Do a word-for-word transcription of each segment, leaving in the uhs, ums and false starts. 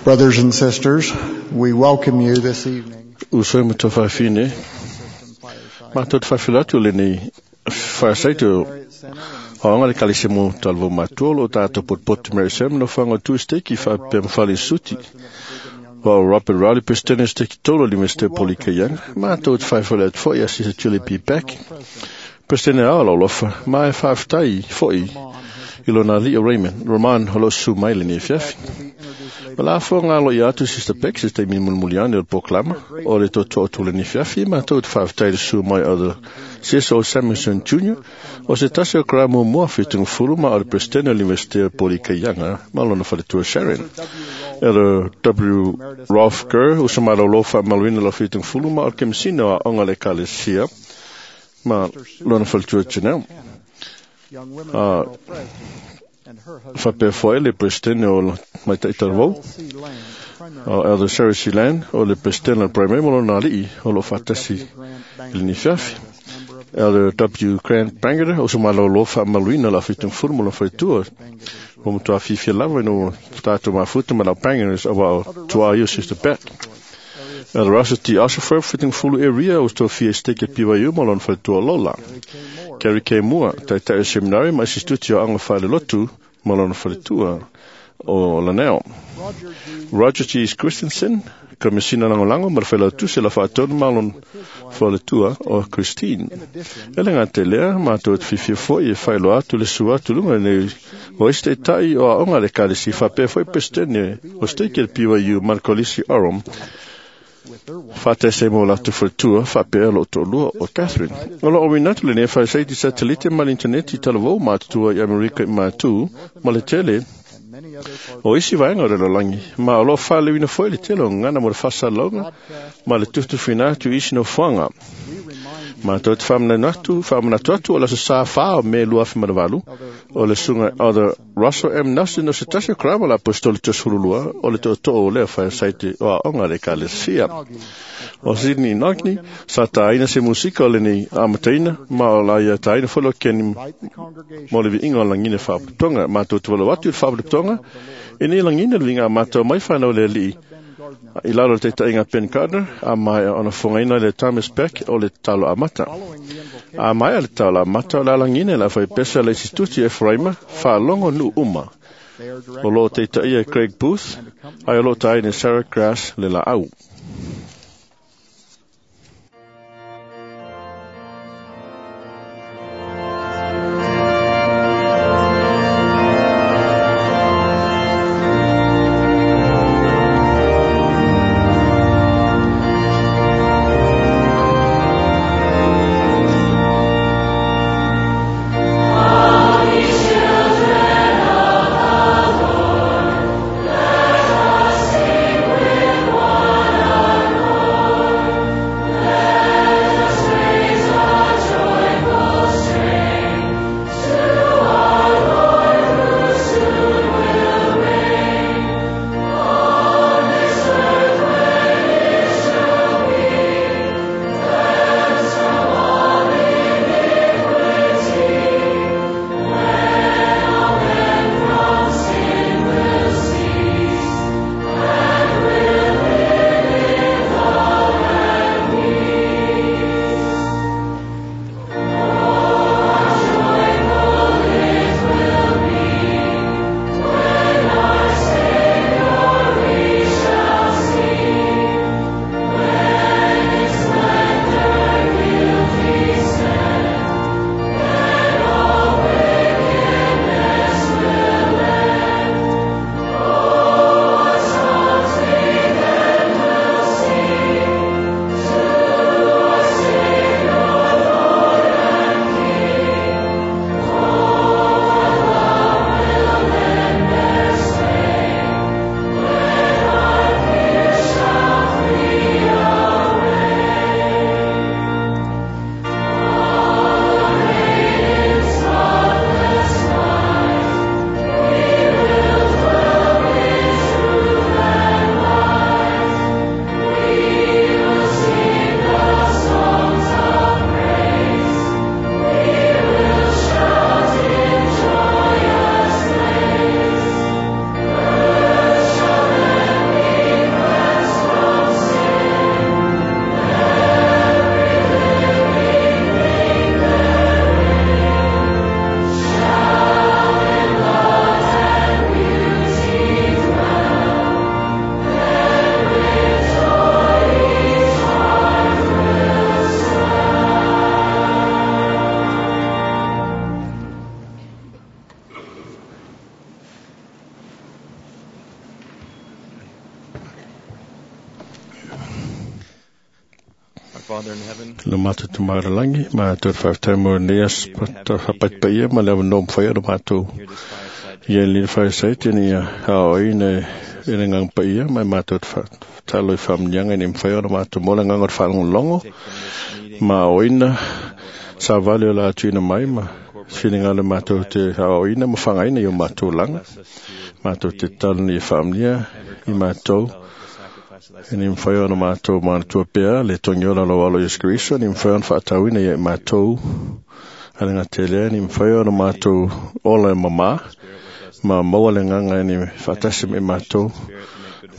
Brothers and sisters, we welcome you this evening. Uso ma tofafine. Ma tot fafilatu le nei fireside o le kalise mo talvo matua o tātou potpotu Mary Sam no whanga Tuesday ki wha mfali suti. O Robert Riley President steki tolo li Mister Polika Young. Ma tot fafilatu foi a Sister Julie P. Beck. President a lo lofa. Ma e whaftai foi i lona li o Raymond. Roman holo su mai le nei fiafi. Wala fo ngā lo i atu Sister Beck, Sister Mi Mulmuliani o le Poklama, o le toto o tule ni fiafi, ma tau te whaftai le su mai o the C S O Samuelson Junior, o se tasi o kra mua mua whitunga fulu ma o le President o l'Université o Polika Young, ma lona whaletua Sharon. Elder W. Ralph Gurr, o sa malo lo wha maluina lo whitunga fulu ma o le kemisina o onga le kalesia, ma lona whaletua Janelle. Uh, Whapea foe le President o Maitai Taravou, o Elder Sarah C. Land, o le President o Primary mo lona ali'i, o lo whatasi i le nifiafi. Elder W. Grant Bangada, o sa malo lo wha maluina la whitunga fulu mo lona whaletua. O matua whiwhia lava ino tātou mafuta ma lau Bangadas o wao tua i o Sister Beck. Elder Russell T. Oshafer, whitunga fulu area o tō fia steke P Y U mo lona whaletua Lola. Gary K. Moore, taitai o seminari ma instituti o anga whale lotu ma lona whaletua o Laneo. Roger G. Christensen, komisina langolango ma le whaelautusi la whaatonu ma lona whaletua o Christine. Ele ngā te lea, mātou te whiwhia foi e whaelo atu le sua atu lunga nei o iste tai o aonga le kalesi whapea foi pestene o steke le P Y U Markolisi Orom. Whātese mō latu whaletua, whapea lo tōlua o Catherine. O lo o winatu le nei whaesaiti satelite ma l'interneti i talavou mātutua i Amerika i mātū, ma le tele o isi vaenga o le lolangi. Ma o lo whalewina foi le tele o ngana mo le whasalaunga, ma le tutuwhina atu isi no whanga. Ma tau te whamanatu, whamanatu atu o la sa sa wha o me lua whimanavalu, o le sunga o the Russell M. Nelson o se tasi o karama la apostoli toshurulua o le toto o lea whaesaiti o a onga le kalesia. O Sydney Nogni, sa tāina se musika o le nei amataina, ma o la ia tāina wholo keni mo le viinga o langine whaputonga. Ma tau te walo atu i le whaputonga, e nei langine le vinga mātou mai whanau le lii. I lalo te tainga Ben Gardner, a mai ona whangaina le Thomas Beck o le talo amata. A mai le talo amata o la langine la whai pesa le instituti Ephraima, whaalongo nu uma. O lo te taia Craig Booth, ai o lo taine Sarah Grass le la au. Children of the Lord, let us sing with one Le mātou te maaralangi, mātou te whawhtai mo nei as whapaipaia ma le awa whai o mātou. Ia le whaisai tēni ia hao i ne ina ngang paia mai mātou te whatalo i whamnianga i ne mwhai o mātou mola nganga o whalongo ma o ina sa vale o la atuina mai ma whininga le mātou te hao ina ma whangaina i o mātou langa mātou te talo ni whamnia i mātou e ni mwhai o mātou mātua pea le tongi ola lo alo Yesu Kristo ni mwhai o whaatauina i mātou alenga te lea ni mwhai o mātou ola e mama ma maua le nganga ni whaatasi me mātou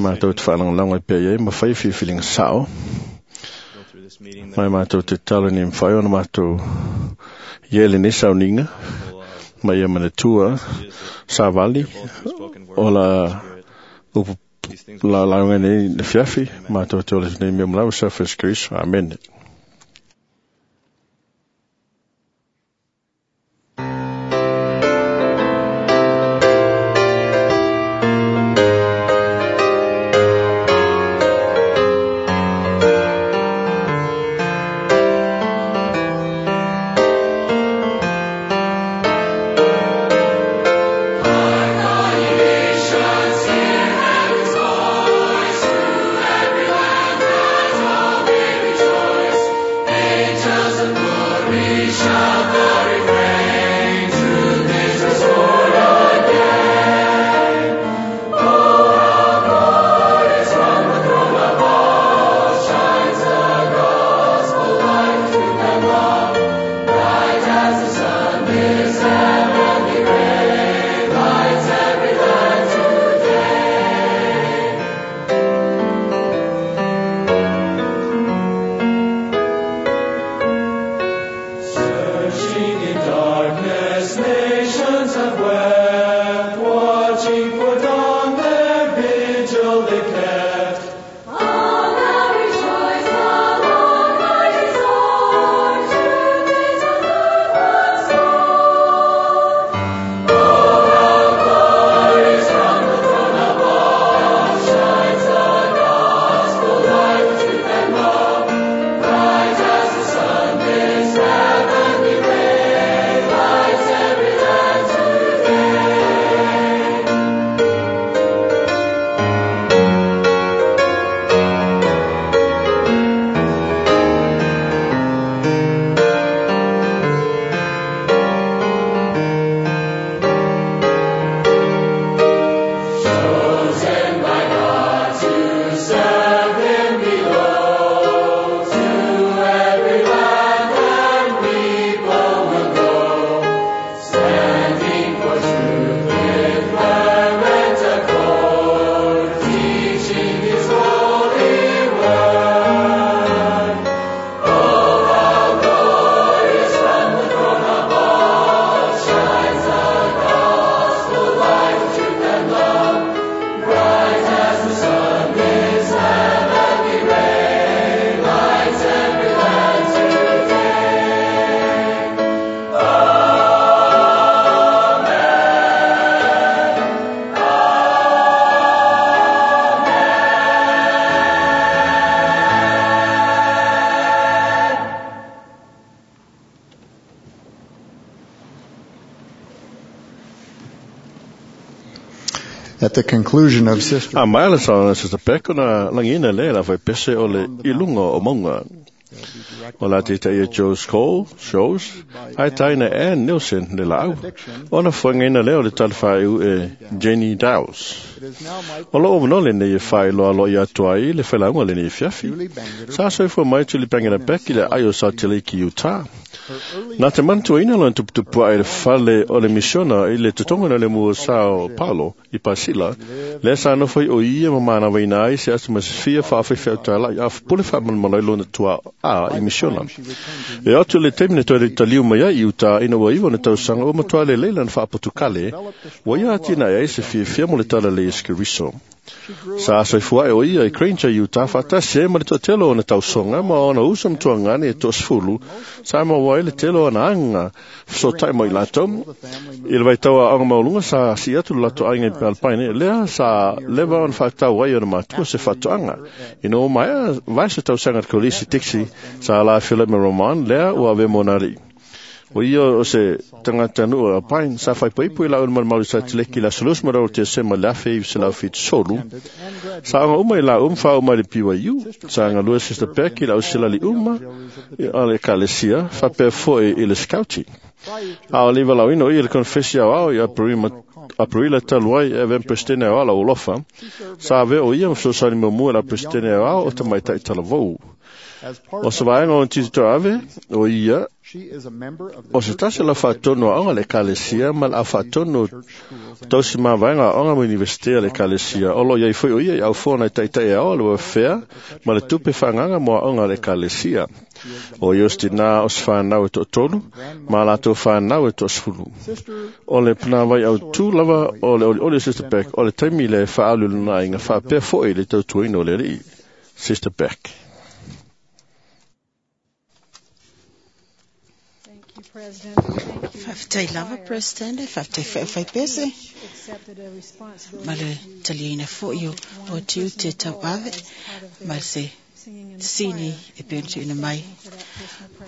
mātou te whaalangalanga i pea iai ma whai whiwhilinga sao mai mātou te talo ni mwhai o mātou iele ni sauninga ma ia manatua sa vali o la upu la launga nei le fiafi mātou te ole nei mea mlau sa Yesu Kristo. Amen. At the conclusion of Sister A mai le sauna Sister Peck ona langina le la fai pese o le ilunga o maunga. O la te taia Joe's Cole, Shows, ai taina Ann Nielsen le lau. Ona whangaina leo le talawhaiu e Jenny Dowes. O lo o le nei e whai loa lo i atua i le whelaunga le nei fiafi. Sa soifua mai tuli pangina Beck i le aio sa te leki Utah. Nā te mantua ina lona tuputupua ai le fale o le misiona i le totonga na le mua Sao Paulo i Pasila, le sa nofo o ia ma manawaina ai se atu masifia whaawhewhea tala i awhapule whamanmalai lona tua a i misiona. E atu le temine toi le taliu mai ai i Utah ina ua iwa na tausanga o matua le leila na whaapotukale, ua ia atina ai se fiafia mo le tala le Iesu Keriso. Sa soifua e o ia i Granger, Utah, faatasi ai ma le toatele o ona tausoga ma ona uso ma tuagane e toasefulu, sa maua ai le tele o ona aga fesootai ma i latou. I le vaitau aoaoga maualuga sa sii atu le latou aiga i Alpine, lea sa leva ona faatau ai ona matua se faatoaga. Ina ua maea vae se tausaga i le kolisi Dixie, sa alafiola ma Roman, lea ua avea mo ona alii. O ia o se tagatanuu o Alpine, sa faaipoipo i lau ma le mauli Sateleki i le aso luasefulu ma rua o Tesema i le afe iva selau fitu solu. Sa aoga uma i lau ma faaoo mai le B Y U, sa galue Sister Beck i le auselali uma a le ekalesia, faapea foi i le scouting. A o le valaauina o ia i le konefesi aoao i Aperila talu ai e avea ma Peresetene aoao a lau alofa, sa avea o ia ma fesoasoani muamua i la Peresetene aoao o tamaitai talavou. O se vaega o ona tiute toaave, o ia, o se tasi o lau faatonu aoga a le ekalesia ma le aufaatonu o tausi mavaega aoga ma Universite a le ekalesia. O lo o iai foi o ia i aufoa nai taitai aoa le welfare ma le tupe faaagaga mo aoga a le ekalesia. O ia o se tinā o se whanau e toatolu, ma latou whanau e toasefulu. O le panāwai autū lava o le olioli o Sister Beck o le taimi le whaalu lana aiga faapea foi le tautuaina o le alii. Sister Beck. Faafetai lava President, faafetai foi au faipese, ma le taliaina foi o, o tiute tauave, ma se sini e pei ona tuuina mai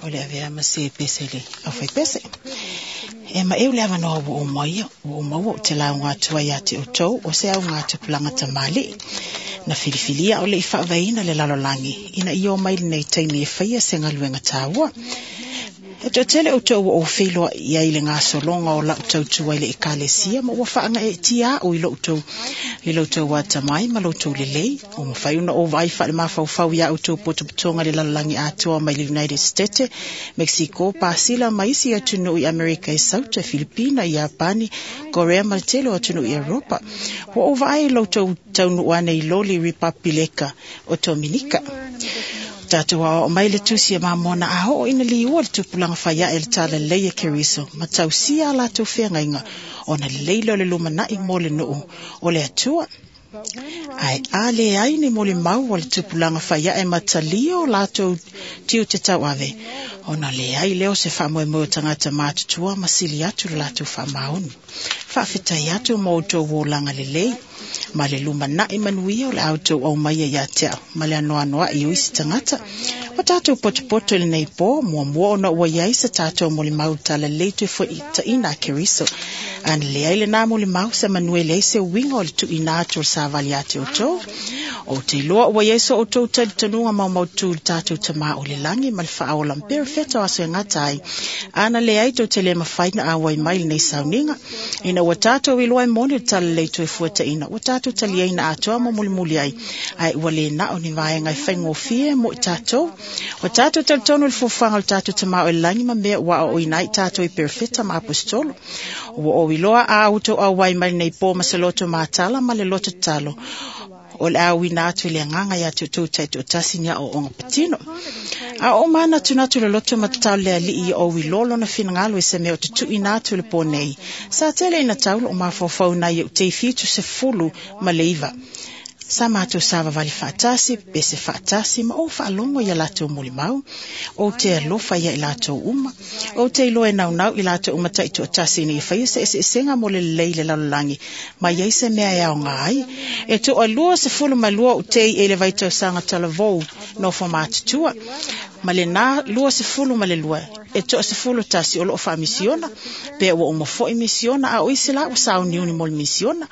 o le avea ma se pese le au faipese. E ma eu le avanoa ua o mai, ua o maua o te lauga atu ai ia te outou o se au ngā tupulaga tamalii. Na filifilia o le i faavaeina le lalolagi ina ia o mai lenei taimi e faia se galuega taua. E toatele outou ua ou feiloai i ai le gasologa o lau tautua i le ekalesia ma ua faagaeetia au i loutou i loutou atamai ma loutou lelei. Ua mafai ona ou vaai faale-mafaufau ia outou potopotoga i le lalolagi atoa mai le United States, Mexico, Pasila ma isi atunuu i Amerika i Sauta, Filipina, Iapani, Korea ma le tele o atunuu i Europa. Ua ou vaai i loutou taunuu ane i loli Ripapileka o Dominika. Tatou aoao mai le tusi e mamona a oo ina liua le tupulaga faiae le talalelei e Keriso ma tausia a latou feagaiga ona lelei lea o le lumanai mo le nuu o le Atua. Ae a leai ni molimau o le tupulaga faiae ma talia o latou tiute tauave, ona leai lea o se faamoemoe o tagata matutua ma sili atu le latou faamaoni. Faafetai atu mo outou olaga lelei ma le lumanai manuia o le a outou aumaia ia te au ma le anoanoai o isi tagata. O tatou potopoto i lenei po, muamua ona ua iai se tatou molimau talalelei toe taina a Keriso. Ana leai lenā molimau se manue leai se uiga o le tuuina atu o le savali ia te outou. Ou te iloa ua iai so outou talitonuga maumautu i le tatou Tamā o le lagi ma le faaola ma perofeta o aso e gata ai. Ana leai tou te le mafai na auai mai lenei sauniga. Ina ua tatou iloa e moni le talalelei toefuataina, ua tatou taliaina atoa ma mulimuli ai. Ae ua le na o ni vaega e faigofie mo i tatou. Ua tatou talitonu i le fuafuaga o le tatou Tamā o le lagi ma mea ua aoaoina ai tatou i perofeta ma apostolo. Ua ou iloa a outou auai mai lenei po ma se loto matala ma le loto tatalo. O le auina atu i le agaga ia te outou taitoatasi ni aoaoga patino. A o manatunatu le loto ma tatalo le alii ia ou iloa lona finagalo i se mea o te tuuina atu i le po nei. Sa tele ina tau lou mafaufau nai ou tei fitu sefulu ma le iva. Sa matou savavali faatasi, pese faatasi, ma ou faalogo ia latou molimau. Ou te alofa ia i latou uma. Ou te iloa e naunau i latou uma taitoatasi ina ia faia se eseesega mo le lelei i le lalolagi, ma iai se mea e aoga ai. E toalua sefulu ma lua ou tei e le vaitausaga talavou nofo matutua, ma lenā lua sefulu ma le lua e toa sefulu tasi o loo faamisiona, pe ua uma foi misiona, a o isi la ua sauniuni mo le misiona.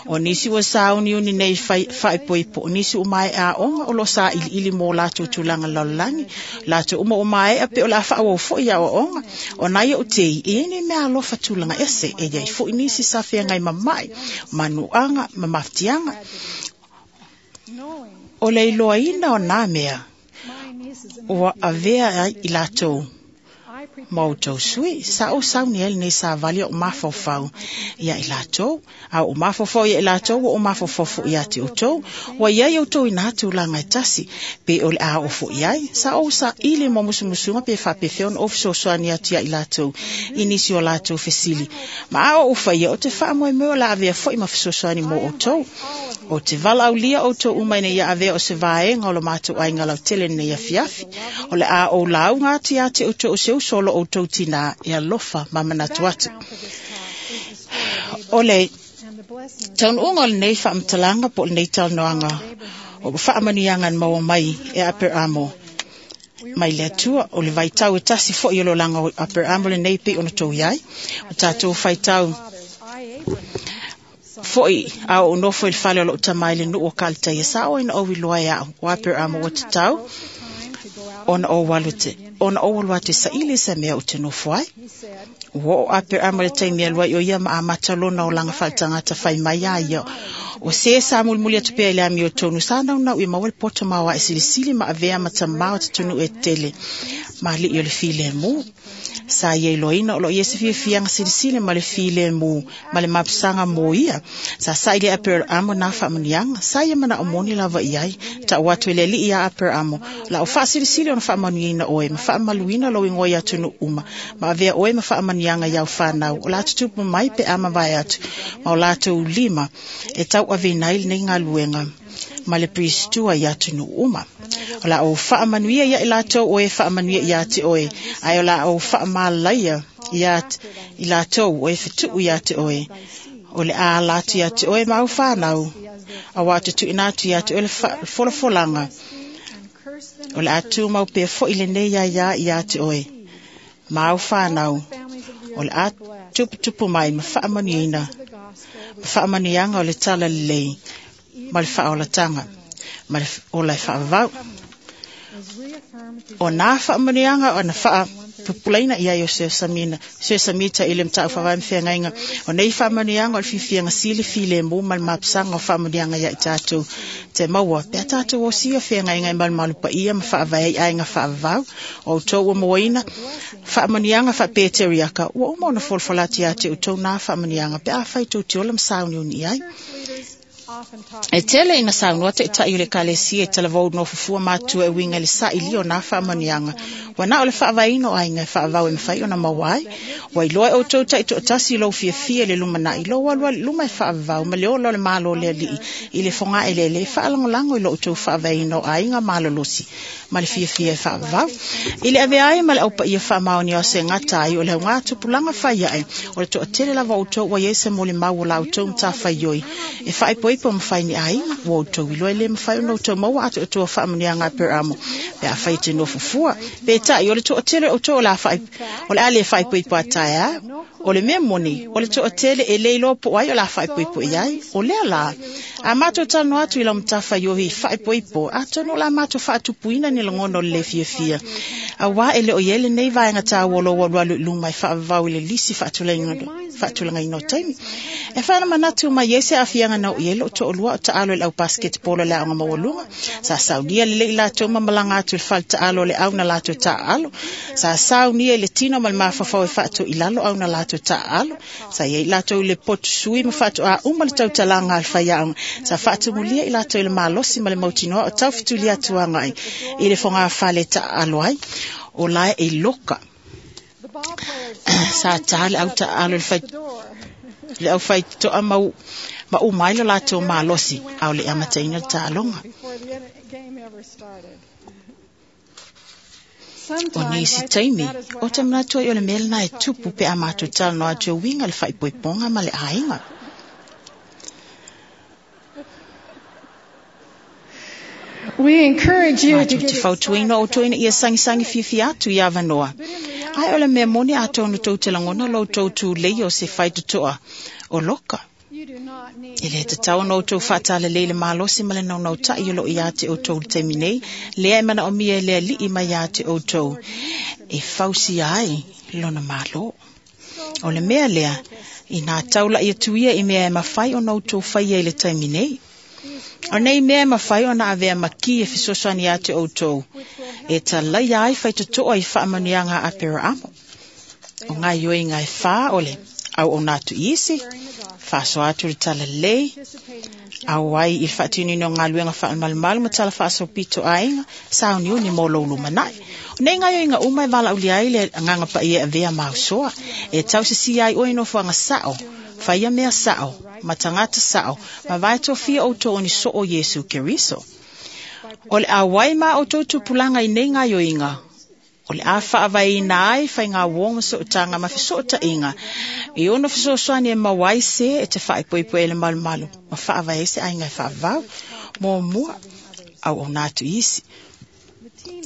O nisi ua sauniuni nei faaipoipo, o nisi ua maea aoga o loo sailiili mo latou tulaga lalolagi, latou uma ua maea pe o le a faaauau foi aoaoga. O nai ou tei, e iai nei mea alofa tulaga ese, e iai foi nisi sa feagai mama'i, manuaga ma mafatiaga. O le iloaina o nā mea ua avea ai i latou Ma outou sui, sa ou sauni ai lenei savali o mafaufau ia i latou, a o mafaufau ia i latou, o mafaufau foi ia te outou, ua iai outou i nā tulaga e tasi, pe o le a o foi ai, sa ou saili mo musumusuga pe faapefea ona ou fesoasoani atu ia i latou, i nisi o latou fesili. Ma a o ufaia o te faamoemoe o la avea foi ma fesoasoani mo outou. O te valaaulia outou uma ina ia avea o se vaega o lo matou aiga lautele lenei afiafi. O le a ou lauga atu ia te outou o se uso o lo outou tinā e alofa ma manatu atu. O le taunuuga o lenei faamatalaga po o lenei talanoaga o faamanuiaga na maua mai e Aperamo mai le Atua, o le vaitau e tasi foi o le olaga o Aperamo lenei pei ona tou iai. O tatou faitau foi a o nofo i le fale o lou tama i le nuu o Kalitaia, sa o ina ou iloa e au o Aperamo ua tatau ona ou alu te ona ou alu atu e saili se mea o te nofo ai. Ua oo Aperamo i le taimi e alu ai o ia ma amata lona olaga faaletagata fai mai a ia. O se sa mulimuli atu pea i le amiotonu, sa naunau ia maua le poto maoae silisili ma avea ma tamā o te atunuu e tele ma alii o le filemu. Sa ia iloaina o lo o ia se fiafiaga silisili ma le filemu ma le mapusaga mo ia. Sa saili e Aperamo nā faamanuiaga, sa ia manao moni lava i ai. Ta'u atu e le alii ia Aperamo, la o faasilisili ona faamanuiaina oe ma faamaluina lou igoa i atunuu uma, ma avea oe ma faamanuiaga i au fanau o la tutupu mai pe a mavae atu, ma o latou lima e tauaveina ai lenei galuega ma le pristua i atunuu uma. O la ou faamanuia ia i latou o e faamanuia ia te oe, ae o la ou faamalaia ia i latou o e fetuu ia te oe. O le a ala atu ia te oe ma au fanau, auā te tuuina atu ia te oe le folafolaga. O le a tumau pea foi lenei aiā ia te oe ma au fanau, o le a tuputupu mai ma faamanuiaina, ma faamanuiaga o le talalelei ma le faaolataga ma le ola e faavavau. O nā faamanuiaga ona faapupulaina i ai o Sesamina, Sesamita i le mataupu faavae ma feagaiga. O nei faamanuiaga o le fiafiaga sili filemu ma le mapusaga o faamanuiaga ia i tatou te maua. Pe a tatou osia feagaiga e malumalu paia ma faavae ai aiga faavavau. O outou ua mauaina faamanuiaga faapeteriaka, ua uma ona folafola atu ia te outou nā faamanuiaga pe a fai tou te ola ma sauniuni ai. E tele ina saunoa taitai o le ekalesia i talavou nofofua matua e uiga i le sailia o nā faamanuiaga. Ua na o le faavaeina o aiga e faavavau e mafai ona maua ai. Ua iloa e outou taitoatasi lou fiafia i le lumanai, lou alualu i luma e faavavau ma le ola o le Malo o le Alii i le fogaeleele e faalagolago i lo outou faavaeina o aiga malolosi ma le fiafia e faavavau. I le avea ai ma le aupaia faamaonia o se gata ai o le augā tupulaga fai ae, o le toatele lava o outou ua iai se molimau o la outou matafaioi e faaipoipo ma fai ni aiga, ua outou iloa e le mafai ona outou maua atoatoa faamanuiaga a Aperamo pe a fai te nofofua. Peitai o le toatele o outou o le a faai o le a le faaipoipo a taeao. O le mea moni, o le toatele e le iloa po o ai o le a faaipoipo i ai. O lea la, a matou talanoa atu i lau matafaioi faaipoipo, atonu o le a matou faatupuina ni lagona o le le fiafia. Auā e le o i ai lenei vaega taua o lou alualu i luma e faavavau i le lisi faatulagaina o taimi. E faamanatu mai ai se aafiaga na oo i ai lou toalua o taalo i le au basketball o le aoga maualuga. Sa saunia lelei i latou ma malaga atu i le fale taalo o le au na latou taaalo. Sa saunia i le tino ma le mafaufau e faatoilalo au na latou taaalo. Sa i ai i latou i le potu sui ma faatoā uma le tautalaga a le faiaoga. Sa faatumulia i latou i le malosi ma le mautinoa o taufetuli atu agai i le fogafale taaalo ai. O lae e loka. Sa tā le au taalo i le fai le au faitotoa mau ma uma ai lo latou malosi a o le amataina le taaloga. O nisi taimi, o te manatu ai o le mea lena e tupu pe a matou talanoa atu e uiga i le faaipoipoga ma le aiga. We encourage you to Matou get te fautuaina outou ina ia sagisagi fiafia atu i avanoa. Ae o le mea moni atonu tou te lagona lo outou tulei o se faitotoa o loka. You do not need E le tatau ona outou faatalalei le malosi ma le naunautai o loo ia te outou i le taimi nei, lea e manaomia e le alii mai ia te outou e fausia ai lona malo. O le mea lea, inā taulai atu ia i mea e mafai ona outou faia i le taimi nei. O nei mea e mafai ona avea ma ki e fesoasoani ia te outou e talaia ai faitotoa i faamanuiaga a Aperamo. O gaoioiga e fā o le auauna atu i isi, faasoa atu le talalelei, auai i le faatinoina o galuega faamalumalu ma tala faasolopito aiga, sauniuni mo lou lumanai. O nei gaoioiga uma e valaaulia ai le agaga paia e avea ma ausoa, e tausisia ai oe i nofoaga sao, faia mea sao, ma tagata sao, ma vae tofia outou o ni soo o Iesu Keriso. O le auai ma outou tupulaga i nei gaoioiga, o le a faavaeina ai faigauō ma sootaga ma fesootaiga e ono fesoasoani e maua ai se e te faaipoipo e le malumalu ma faavae ai se aiga e faavavau. Muamua, auauna atu i isi.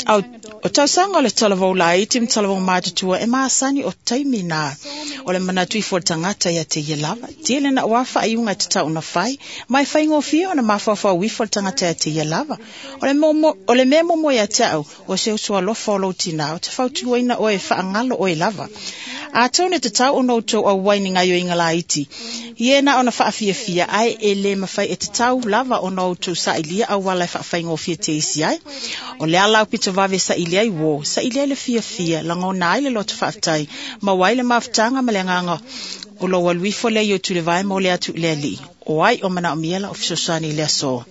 Au, o tausaga o le talavou laiti ma talavou matutua e masani o taimi na o le manatu ifo o le tagata ia te ia lava. Tele na ua faaiuga e tatau ona fai, ma e faigofie ona mafaufau ifo le tagata ia te ia lava. O le, momo, o le mea momo ia te au, o se uso alofa o lou tinā, o te fautuaina oe e faagalo oe lava. Atonu e tatau ona outou auai ni gaoioiga laiti, ia na ona faafiafia ai e le mafai e tatau lava ona outou sailia auala e faafaigofie te isi ai. O le ala au pito vave saili ai uō, saili ai le fiafia, lagona ai le loto faafetai, maua ai le mafutaga ma le agaga o lou alu ifo lea i o tulevae mo le atu i le alii. O ai o manaomia lau fesoasoani i le aso.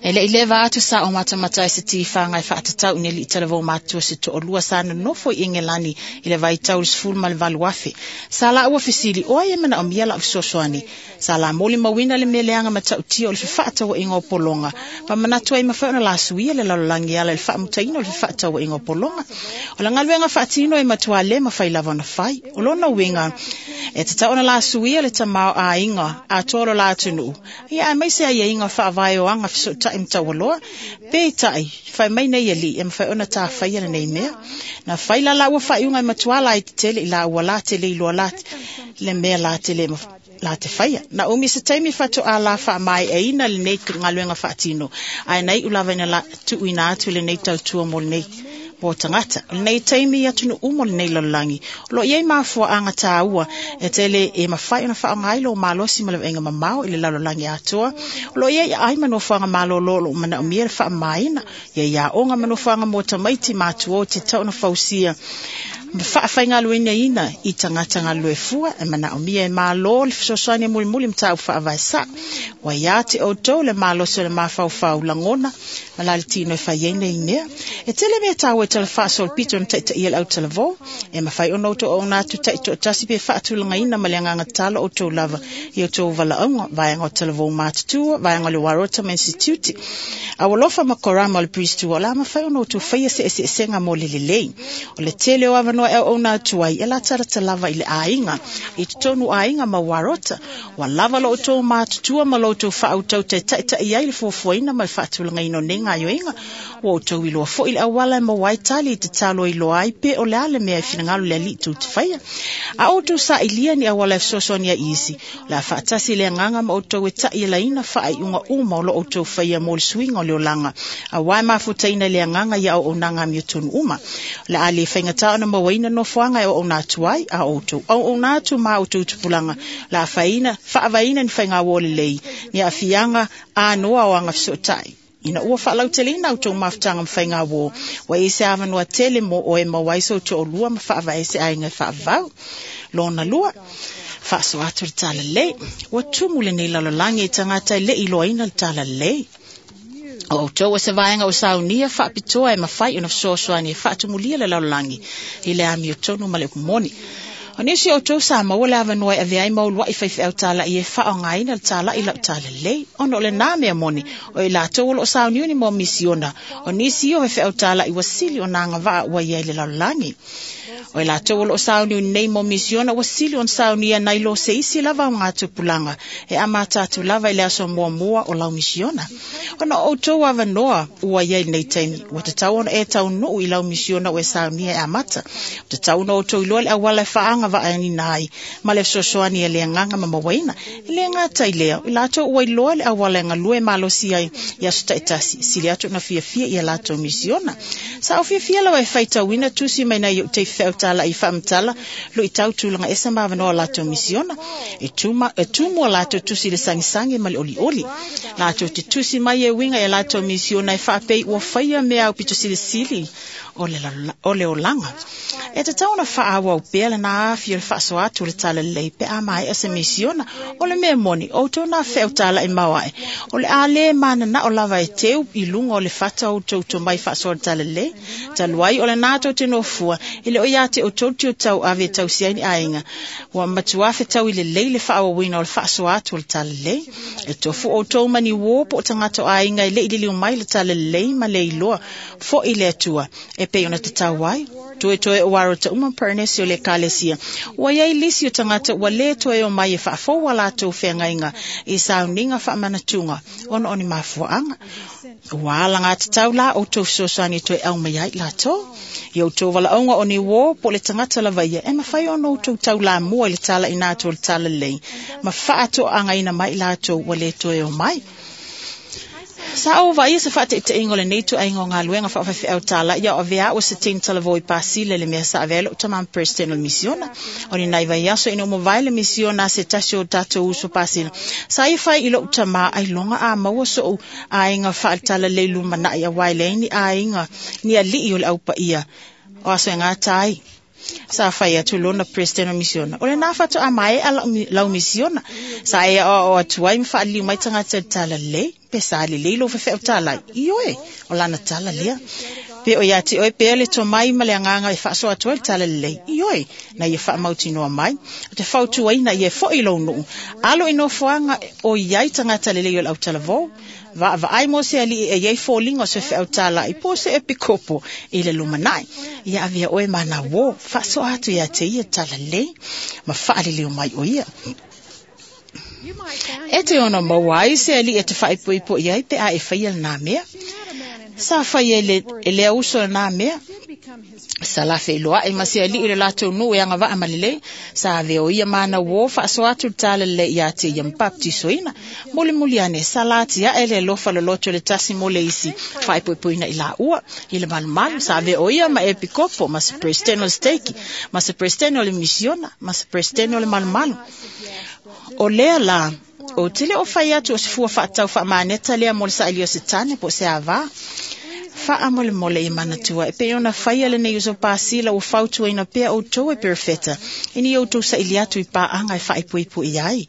E le i leva atu sa o matamata ai se tifaga e faatatau i ni alii talavou matutua se toalua sa nonofo i Engelani i le vaitau i le sefulu ma le valu afe. Sa laua fesili, o ai e manaomia lau fesoasoani? Sa la molimauina le mea leaga matautia o le fefaatauaiga o pologa, ma manatu ai mafai ona lasuia le lalolagi e ala i le faamutaina o le fefaatauaiga o pologa. O le galuega faatino e matua le mafai lava ona fai. O lona uiga, e tatau ona lasuia le tamaoaiga atoa o lo la atunuu, ia aemaise aiaiga faavae o aga fesootai ma taualoa. Peitai, fai mai nei alii e mafai ona tafaia lenei mea. Na fai la laua faaiuga e matua laiti tele i laua la te le iloa la le mea la te le la te faia. Na umi se taimi faatoa la faamaeaina lenei galuega faatino, ae na iu lava ina la tuuina atu lenei tautua mo lenei mo tagata. O lenei taimi i atunuu uma o lenei lalolagi, o lo o i ai mafuaaga taua e tele e mafai ona faaaoga ai lou malosi ma le vaaiga mamao i le lalolagi atoa. O lo o i ai aai ma nofoaga malolo o lo o manaomia le faamamaina, ia i aoga ma nofoaga mo tamaiti matutua o te tatau ona fausia ma faafaigaluegaina i tagata galulue fua e manaomia e malo le fesoasoani e mulimuli mataupu faavae sao. Ua ia te outou le malosi o le mafaufau lagona ma la le tino e fai ai nei mea. E tele mea taua e tala faasolopito na taitaia le autalavou, e mafai ona outou auauna atu taitoatasi pe faatulagaina ma le agaga tatalo outou lava i outou valaauga, vaega o talavou matutua, vaega o le Warota Institute. Aualofa ma korama o le Priesthood, o le a mafai ona outou faia se eseesega mo le lelei. O le tele o avanoa e auauna atu ai, e latalata lava i le aiga, i totonu aiga ma Warota. Ua lava lo outou matutua ma lo outou faautautau e taitai ai le fuafuaina ma le faatulagaina o nei gaoioiga. Ua outou iloa foi le auala e maua ai tali i tatalo e iloa ai pe o le a le mea e finagalo le alii tou te faia. A outou sailia ni auala e fesoasoani ai i isi, o le a faatasi le agaga ma outou e taialaina faaiuga uma o lo outou faia mo le suiga o le olaga, auā e mafutaina i le agaga ia auaunaga amiotonu uma. O le a le faigata ona mauaina nofoaga e auauna atu ai, a outou auauna atu ma outou tupulaga, o le a faina, faavaeina ni faigauō lelei, ni aafiaga anoa o aga fesootai. Ina ua faalauteleina outou mafutaga ma faigauō, ua i ai se avanoa tele mo oe e maua ai sou toalua ma faavae ai se aiga e faavavau. Lona lua, faasoa atu le talalelei. Ua tumu lenei lalolagi i tagata e le i iloaina le talalelei. O outou o se vaega o saunia faapitoa e mafai ona fesoasoani e faatumulia le lalolagi i le amiotonu ma le upu moni. O nisi o outou sa maua le avanoa e avea ai ma uluai faifeau tala'i e faaaogaina le tala'i lau talalelei, ona o lenā mea moni o i latou o loo sauniuni mo misiona. O nisi o faifeau tala'i ua sili ona agavaa ua i ai i le lalolagi. O i latou o loo sauniuni nei mo misiona ua sili ona saunia nai lo se isi lava o ngā tupulaga e amata atu lava i le aso muamua o lau misiona. Ona o outou avanoa ua i ai lenei taimi, ua tatau ona e taunuu i lau misiona ua e saunia e amata. Ua tatau ona outou iloa le auala e faaagavaa agavaaina ai ma le fesoasoani a le agaga ma mauaina. E le gata i lea, o i latou ua iloa le auala e galue malosi ai i aso taitasi, sili atu ona fiafia ia latou misiona. Sa ou fiafia lava e faitauina tusi mai nai ou taifeau tala'i faamatala luitau tulaga ese ma avanoa o latou misiona. E tuma, e tumu a latou tusi i le sagisagi ma le olioli. Latou te tusi mai e uiga i a latou misiona e faapei ua faia mea aupito silisili o le, o le olaga. E tatau ona faaauau pea lena afi o le faasoa atu o le talalelei pe a maea se misiona. O le mea moni, outou na feau tala'i maoae. O le a le mananao lava e teu i luga o le fata o outou tomai faasoa le talalelei. Talu ai o lena tou te nofua, e le o ia te outou le tiutau ave e tausi ai ni aiga. Ua matua fetaui lelei le faaauauina o le faasoa atu o le talalelei. E tofu outou ma ni uō po o tagata o aiga e le i liliu mai le talalelei ma le iloa foi le Atua e pei ona tatau ai. Toe toe o aro ta uma Parenesi o le Ekalesia. Ua iai lisi o tagata ua lē toe o mai e faafou a latou feagaiga i sauniga faamanatuga ona o ni mafuaaga. Ua alagatatau la outou fesoasoani e toe aumai ai latou. I outou valaauga o ni uō po o le tagata lava ia e mafai ona outou taulamua i le talaina atu o le talalelei ma faatoagaina mai latou ua lē toe o mai. Sa ou vaaia se faataitaiga o lenei ituaiga o galuega faafaifeau tala'i a o avea a'u e se teine talavou i Pasila i le mea sa avea ai lo'u tamā ma Peresetene o le misiona. O ni nai vaiaso ina ua mavae le misiona a se tasi o tatou uso Pasila, sa ia fai i lo'u tamā ailoga a maua so'u aiga faatalalelei lumana'i auā e leai ni aiga ni ali'i o le aupaia o aso e gata ai. Sa fai atu lona Peresetene o misiona, o lenā faatoa maea lau misiona. Sa e aoao atu ai ma faaliliu mai tagata i le talalelei. Pe sa lelei lou faifeau talai? Ioe, o lana tala lea. Pe o ia te oe pea le tomai ma le agaga e faasoa atu ai le talalelei? Ioe, na ia faamautinoa mai. O te fautuaina ia e fo'i i lou nuu. Alo i nofoaga o i ai tagata lelei o le autalavou. Vaavaai mo se ali'i e iai foliga o se feau tala'i po o se epikopo i le lumanai. Ia avea oe ma ana uō, faasoa atu iā te ia talalelei ma faaliliu mai o ia. E te ono maua ai se ali'i e te faaipoipo i ai pe a e faia lenā mea. Sa fai e le, e lea uso lenā mea. Sa lafeiloa'i ma se ali'i i le latou nuu e agavaa ma lelei. Sa avea o ia ma ana uō faasoa atu le talalelei iā te ia ma bapetisoina. Mulimuli ane, sa latia'e le alofa loloto le tasi mo le isi faaipoipoina i laua i le malumalu. Sa avea o ia ma epikopo, ma se Peresetene o le steiki, ma se Peresetene o le misiona, ma se Peresetene o le malumalu. O lea la, ou te le o fai atu o se fua faatatau faamaneta lea mo le saili o se tane po o se avā. Faamolemole i manatua e pei ona faia lenei uso Pasila ua fautuaina pea outou e perofeta ina ia outou saili atu i paaga e faaipoipo ai.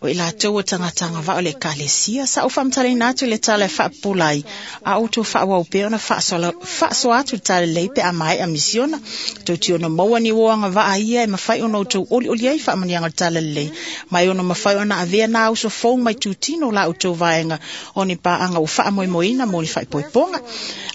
O i latou o tagata agavaa o le Ekalesia, sa ou faamatalaina atu le tala e faapupula ai, a outou faaauau pea ona faasoa atu le talalelei pe a maea misiona. Tou te ono maua ni uō agavaa ia e mafai ona outou olioli ai faamanuiaga o le talalelei, ma e ono mafai ona avea nā uso fou mai tutino la outou vaega o ni paaga ua faamoemoeina mo ni faaipoipoga.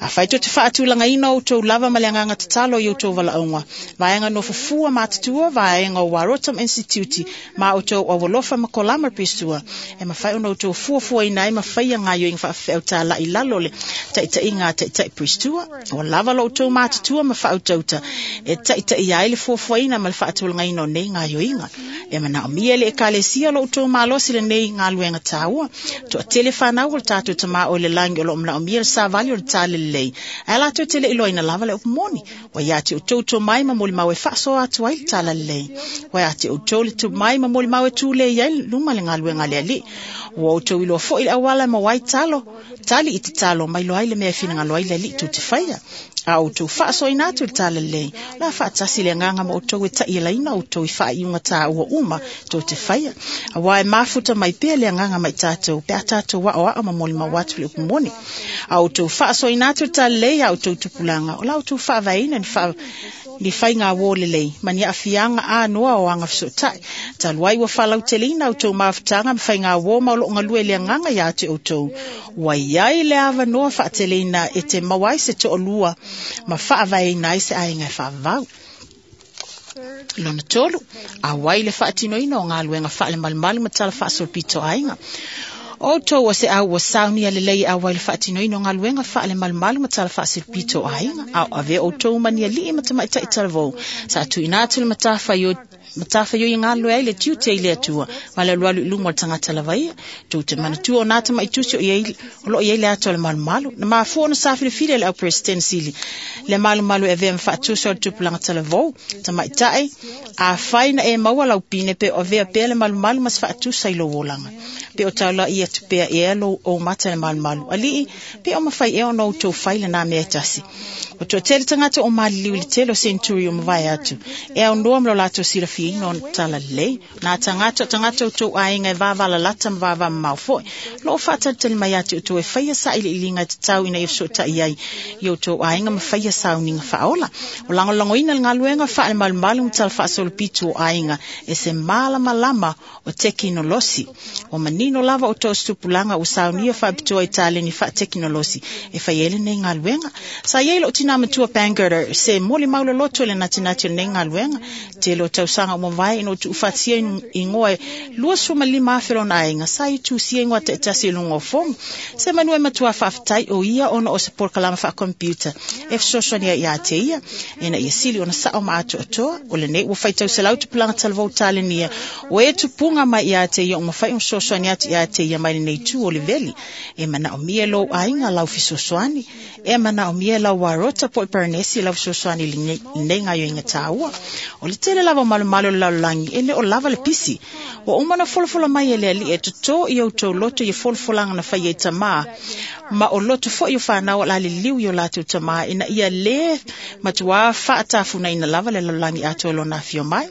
Afai tou te faatulagaina outou lava ma le agaga tatalo i outou valaauga, vaega nofofua matutua, vaega o Warotam Institute ma outou aualofa ma kolama Pristua, e mafai ona outou fuafuaina ai ma faia gaoioiga faafefeau tala'i i lalo o le taitaiga a taitai Pristua. Ua lava lo outou matutua ma faautauta e taitaia ai le fuafuaina ma le faatulagaina o nei gaoioiga. E manaomia e le Ekalesia lo outou malosi lenei galuega taua. Toatele fanau o le tatou Tamā o i le lagi o loo manaomia le savali o le talalelei, ae latou te le iloaina lava le upu moni. Ua ia te outou tomai ma molimau e faasoa atu ai le talalelei. Ua ia te outou le tomai ma molimau e tulei ai luma le galuega a le Alii. Ua outou iloa foi le auala e maua ai talo, tali i tatalo ma iloa ai le mea e finagalo ai le Alii tou te faia. A outou faasoaina atu le talalelei, o le a faatasi le agaga ma outou e ta'ialaina outou i faaiuga tāua uma tou te faia. Auā e mafuta mai pea le agaga ma i tatou pe a tatou aoao ma molimau atu le upu moni. A outou faasoaina atu le talalelei a outou tupulaga, o la outou faavaeina ni faa ni faiga uō lelei ma ni aafiaga anoa o aga fesoota'i. Talu ai ua faalauteleina outou mafutaga ma faiga uō ma o loo galue le agaga iā te outou. Ua iai le avanoa faateleina e te maua ai se to'alua ma faavaeina ai se aiga e faavavau. Lona tolu, auai le faatinoina o galuega faalemalumalu ma tala faasolopito aiga. O outou o se au ua saunia lelei e auai le faatinoina o galuega faale-malumalu ma tala faasilipito o aiga, a o avea outou ma ni alii ma tamaitai talavou, sa tuuina atu le matafaioi matafaioi e galulue ai le tiute i le Atua ma le alualu i luma o le tagata lava ia. Tou te manatua o nā tamaitusi o iai o loo iai le ata o le malumalu. Na mafua ona sa filifili e le au President sili le malumalu e avea ma faatusa o le tupulaga talavou tamaitai. Afai na e maua lau pine pe o avea pea le malumalu ma se faatusa i lou olaga, pe o taulai atu pea ea lou ou mata le malumalu. Alii, pe o mafai ea ona outou fai lenā mea e tasi. O toatele tagata o maliliu i le tele o senturi o mavae atu e aunoa ma lo latou silafiaina o tala lelei. Nā tagata o tagata o tou aiga e vavalalata ma vavamamao foi loo faatalitali mai ia te outou e faia sailiiliga e tatau ina ia fesootai ai i outou aiga ma faia sauniga faaola. O lagolagoina le galuega faale-malumalu ma tala faasolopitu o aiga e se malamalama o tekinolosi. Ua manino lava o tou tupulaga ua saunia faapitoa i taleni faatekinolosi e fai ai lenei galuega. Sa iai lou tinā matua Bangerter se molimau loloto i le natinati o lenei galuega. Tele o tausaga ua mavae ina ua tuufaatasia igoa e luasefulumalima afe lona aiga, sa ia tusia igoa taitasi i luga o fomu. Se manu e matua faafetai o ia ona o se polokalama faakompiuta e fesoasoani ai ia te ia ina ia sili ona sao ma atoatoa. O lenei ua faitau selau tupulaga talavou talenia o e tupuga mai ia te ia ua mafai ona fesoasoani atu ia te ia mai lenei itu o le veli. E manaomia e lou aiga lau fesoasoani, e manaomia e lau arota po o Paranesi lau fesoasoani i lenei gaoioiga taua. O le tele lava o malumalu o le lalolagi e le o lava le pisi. Ua uma ona folafola mai e le alii e totō i outou loto ia folafolaga na faia i tamā, ma o loto foi o whanau o la liliu i o latou tamā ina ia le matuā faatafunaina lava le lalolagi atoa lona afio mai.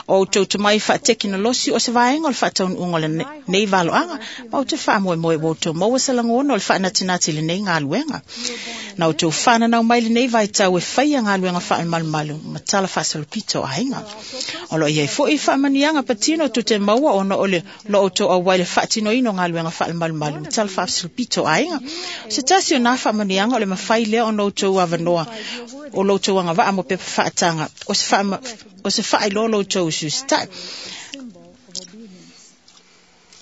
O outou tomai faatekinolosi o se vaega o le faataunuuga o lenei valoaga, ma ou te faamoemoe ua outou maua se lagona o le faanatinati i lenei galuega. Na outou fananau mai lenei vaitau e faia galuega faale-malumalu ma tala faasolopito o aiga. O loo iai foi faamanuiaga patino tou te maua ona o le lo outou auai le faatinoina o galuega faale-malumalu ma tala faasolopito o aiga. O se tasi o nā faamanuiaga o le mafai lea ona outou avanoa o lo outou agavaa mo pepa faataga o se faama, o se faailoa lo outou usiusitai.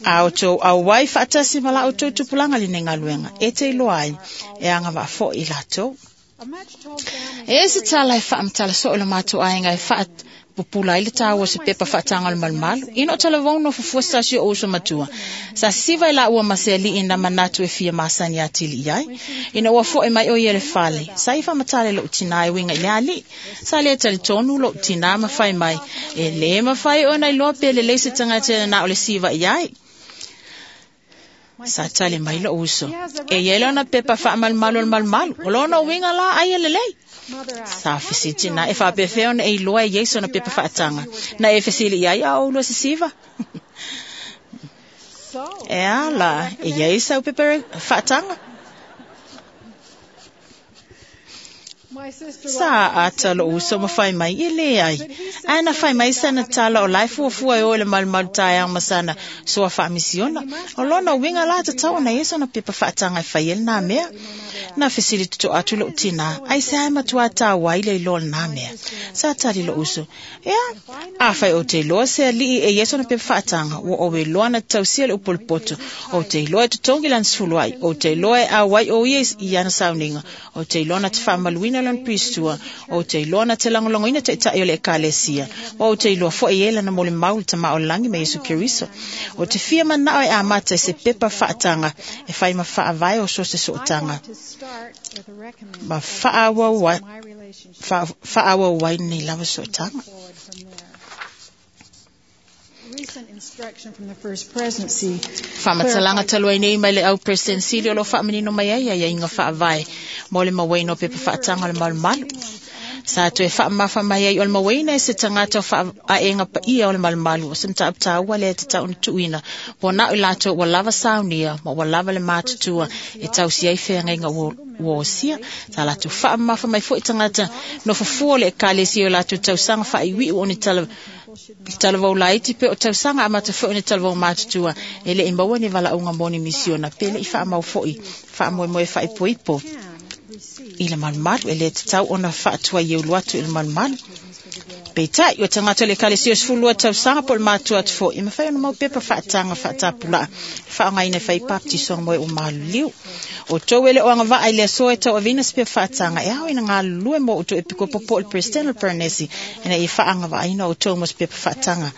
A outou auai faatasi ma la outou tupulaga lenei galuega e te iloa ai e agavaa foi i latou. E se tala e faamatala soo i le matou aiga e faapupula ai le taua o se pepa faataga o le malumalu. Ina o talavou no fufua se tasi o uso matua. Sa sisiva i la ua ma se alii na manatu e fia masani atili i ai. Ina ua foe mai o ia le fale. Sa i faamatala i lou tinā e uiga i le alii. Sa le talitonu lou tinā ma fai mai. E le mafai ona iloa pe lelei se tagata na o le siva i ai. Sa tali mai lou uso. E iai lona pepa faamalumalu o le malumalu. O lona uiga la ai e lelei. Sa fesili na e faapefea ona e iloa e iai sona pepa faataga. Na e fesili i ai a o lua sisiva. E ala, e iai sau pepa faataga. Sa ata lou uso ma fai mai, e leai. Ae na fai mai sana tala o lae fuafua e o le malumalu taeao ma sana soa faamisiona. O lona uiga la tatau ona ia sona pepa faataga e fai ai lenā mea. Na fesili toto atu lou tinā, ai se ae matua tāua ai le iloa lenā mea. Sa tali lou uso, ea, afai o te iloa se alii e ia sona pepa faataga, ua oe iloa na tausia le upolupoto, o te iloa e totogi lana sefulu ai, o te iloa e auai o ia i ana sauniga, o te iloa na te faamaluina lona pistua, o te iloa na te lagolagoina taitai o le ekalesia, o te iloa foi e lana molimau i le tamā o le lagi ma Iesu Keriso. O te fia manao e amata i se pepa faataga e fai ma faavae o so se sootaga ma faaauau ai faaauau ai lenei lava sootaga. Faamatalaga talu ai nei mai le au President Sili o lo faamanino mai ai aiaiga faavae mo le mauaina o pepa faataga o le malumalu. Sa toe faamamafa mai ai o le mauaina e se tagata o faaega paia o le malumalu o se mataupu taua lea e tatau ona tuuina po na o i latou ua lava saunia ma ua lava le matutua e tausi ai feagaiga ua ua osia. Sa latou faamamafa mai foi tagata nofofua o le ekalesia o latou tausaga faaiuiu o ni tala talavou laiti pe o tausaga amata foi o ni talavou matutua e le i maua ni valaauga mo ni misiona pe le i faamau foi faamoemoe faaipoipo i le malumalu e le tatau ona faatuai eulu atu i le malumalu. Peitai, o tagata o le ekalesia o sefululua tausaga po o le matua atu foi, e mafai ona maua pepa faataga faatapulaa e faaaogaina e fai papatisoga mo e ua maliliu. O outou e le o agavaa i le aso e tauaveina se pepa faataga, e ao ina galulue mo outou epikopo po o le Peresetene o le Paranesi ina ia faaagavaaina outou mo se pepa faataga.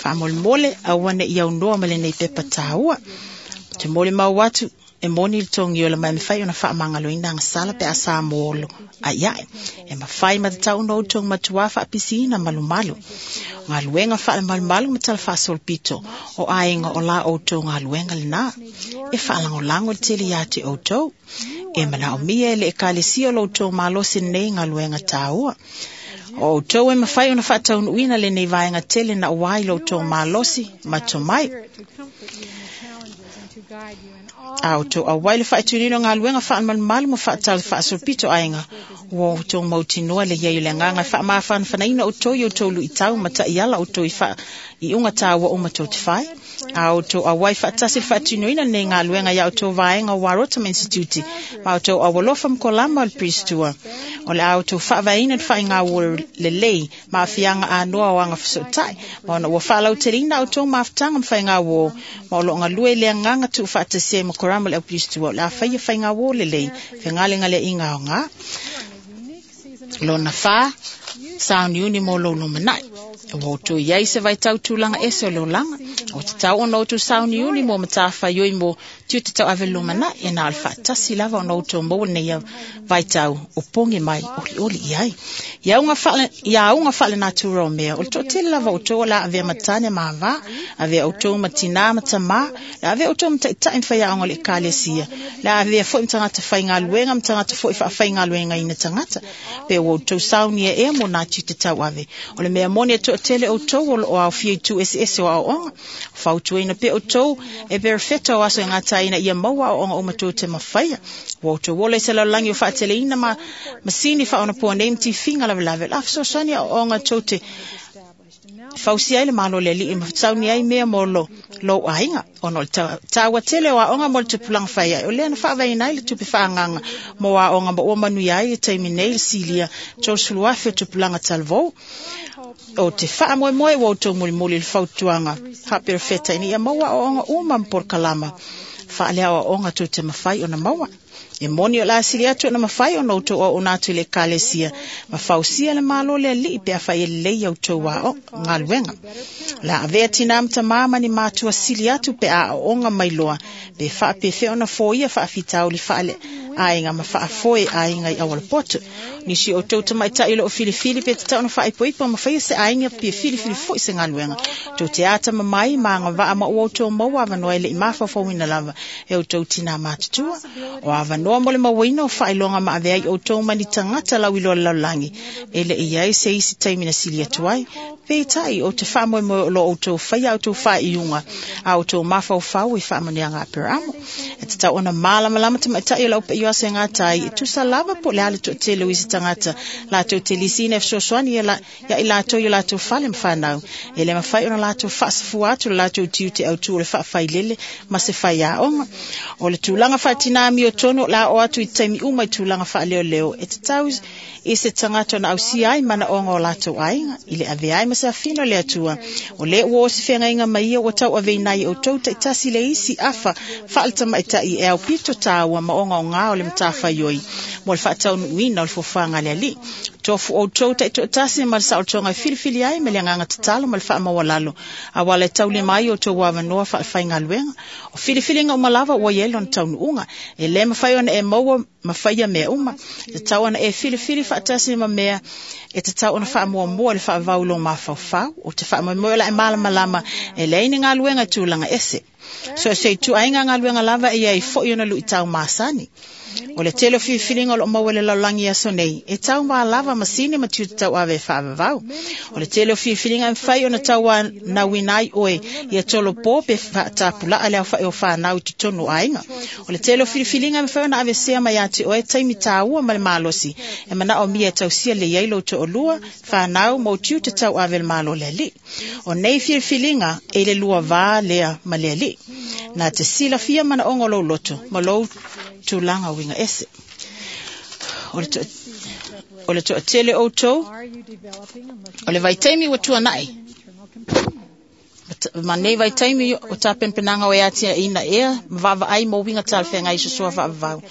Faamolemole, aua ne i aunoa ma lenei pepa taua. Te molimau atu, e moni le togiola ma e mafai ona faamagaloina agasala pe a sa molo ai ae. E mafai ma tatau ona outou matuā faapisiina malumalu. Galuega faalemalumalu ma tala faasolopito o aiga o la outou galuega lena. E faalagolago le tele ia te outou. E manaomia e le ekalesia o lo outou malosi lenei galuega taua. O outou e mafai ona faataunuuina lenei vaega tele na ua i lo outou malosi ma tomai. A outou auai le faatunino o galuega faalemalumalu ma faatala faasolopito aiga, ua outou mautinoa le iai o le agaga e faamafanafanaina outou i outou luitau ma taiala outou i faaiuga taua uma tou te fai. A outou auai faatasi le faatinoina lenei galuega ia outou vaega o Warota ma Institute, ma outou aualofa ma kolama o le Priestua. O le a outou faavaeina le faaiga lelei ma aafiaga anoa o agafesootai, ma ona ua faalauteleina outou mafutaga ma faigauō, ma o loo galue i le agaga tuufaatasia ai ma korama o le aupilistua, o le a faia faigauō lelei fegalegaleaiga aoga. Lona fa, sauniuni mo lou lumanai. Ua outou iai se vaitau tulaga ese o le olaga. O tatau ona outou sauniuni mo matafaioi mo tiute tauave lumanai, e na o le faatasi lava ona outou maua lenei vaitau o pogi mai olioli i ai. Ia auga faale, ia auga faalenatura o mea, o le toatele lava outou o le a avea ma tane ma avā, avea outou ma tinā ma tamā, le a avea outou ma taitai ma faiaoga o le ekalesia, le a avea foi ma tagata faigaluega ma tagata foi faafaigaluegaina tagata, pe ua outou saunia ea mo nā tiute tauave. O le mea moni e toatele outou o loo aofia i tu eseese o aoaoga. Fautuaina pea outou e perefeta o aso e gataina ia maua aoaoga uma tou te mafaia. Ua outou ola i se lalolagi o faateleina ma masini faaonapoa nei ma tifiga lavelave. O le a fesoasoani aoaoga tou te fausia ai le malo o le alii ma sauni ai mea mo lo lou aiga. Ona o le taua tele o aoga mo le tupulaga fai ai, o lea na faavaeina ai le tupe faaagaga mo aoga ma ua manuia ai le taimi nei le silia tolusefulu afe o tupulaga talavou. O te faamoemoe ua outou mulimuli i le fautuaga faaperefeta ina ia maua aoaoga uma ma polokalama faaleaoaoga tou te mafai ona maua. E moni o le a sili atu ona mafai ona outou auauna atu i le ekalesia ma fausia le malo o le alii pe afai e lelei a outou ao galuega. O le a avea tinā ma tamā ma ni matua sili atu pe a aooga mai loa, pe faapefea ona foia faafitauli faale aiga ma faafoe aiga i aualapoto. Nisi o outou tamaitai o loo filifili pe tatau ona faaipoipo ma faia se aiga pe filifili foi se galuega. Tou te atamamai ma agavaa ma ua outou maua avanoa e le i mafaufauina lava e outou tinā matutua. O avanoa mo le mauaina o faailoga ma avea ai outou ma ni tagata lauiloa o le lalolagi e le i ai se isi taimi na sili atu ai. Peitai, o te faamoemoe o lo outou faia outou faaiuga a outou mafaufau i faamanuiaga a Aperamo. E tatau ona malamalama tamaitai o lau paio aso e gatai, e tusa lava po o le a le toatele o isi tagata latou te lisiina e fesoasoani ia, la, ia i latou i o latou fale ma fanau. E le mafai ona latou faasafua atu le latou tiute autu o le faafailele ma se faiaoga. O le tulaga faatinā miotonu o le a oo atu i taimi uma i tulaga faaleoleo, e tatau i se tagata ona ausia ai manaoga o latou aiga, i le avea ai ma se afino le Atua. O le ua o se feagaiga ma ia ua tauaveina ai e outou taitasi le isi afa faaletamaitai e aupito taua ma ogaoga o le matafaioi mo le faataunuuina o le foafoaga a le alii. Tofu outou taitoatasi ma le saolotoga e filifili ai ma le agaga tatalo ma le faamaualalo, auala e taulima ai outou avanoa faalefaigaluega. O filifiliga uma lava ua i ai lona taunuuga. E le mafai ona e maua ma faia mea uma. E tatau ona e filifili faatasi ma mea e tatau ona faamuamua le faavavau i lou mafaufau. O te faamoemoe o le a e malamalama e leai ni galuega i tulaga ese. So se ituaiga galuega lava e iai foi ona luitau masani. O le tele o filifiliga o loo maua i le lalolagi i aso nei, e taumalava masini ma tiute tauave e faavavau. O le tele o filifiliga e mafai ona tauanauina ai oe ia tolopo pe faatapulaa le aofai o fanau i totonu o aiga. O le tele o filifiliga e mafai ona avesea mai ia te oe taimi taua ma le malosi e manaomia e tausia lelei ai lou toalua, fanau ma ou tiute tauave i le malo o le alii. O nei filifiliga e i le lua va lea ma le alii. Na te silafia manaoga o lou loto ma lou tulaga uiga ese. O le, to, O le toatele outou, o le vaitaimi ua tuanai. Ma nei vaitaimi o tapenapenaga o e atiaʻina ea ma vaavaai mo uiga talafeagai i sosoa faavavau.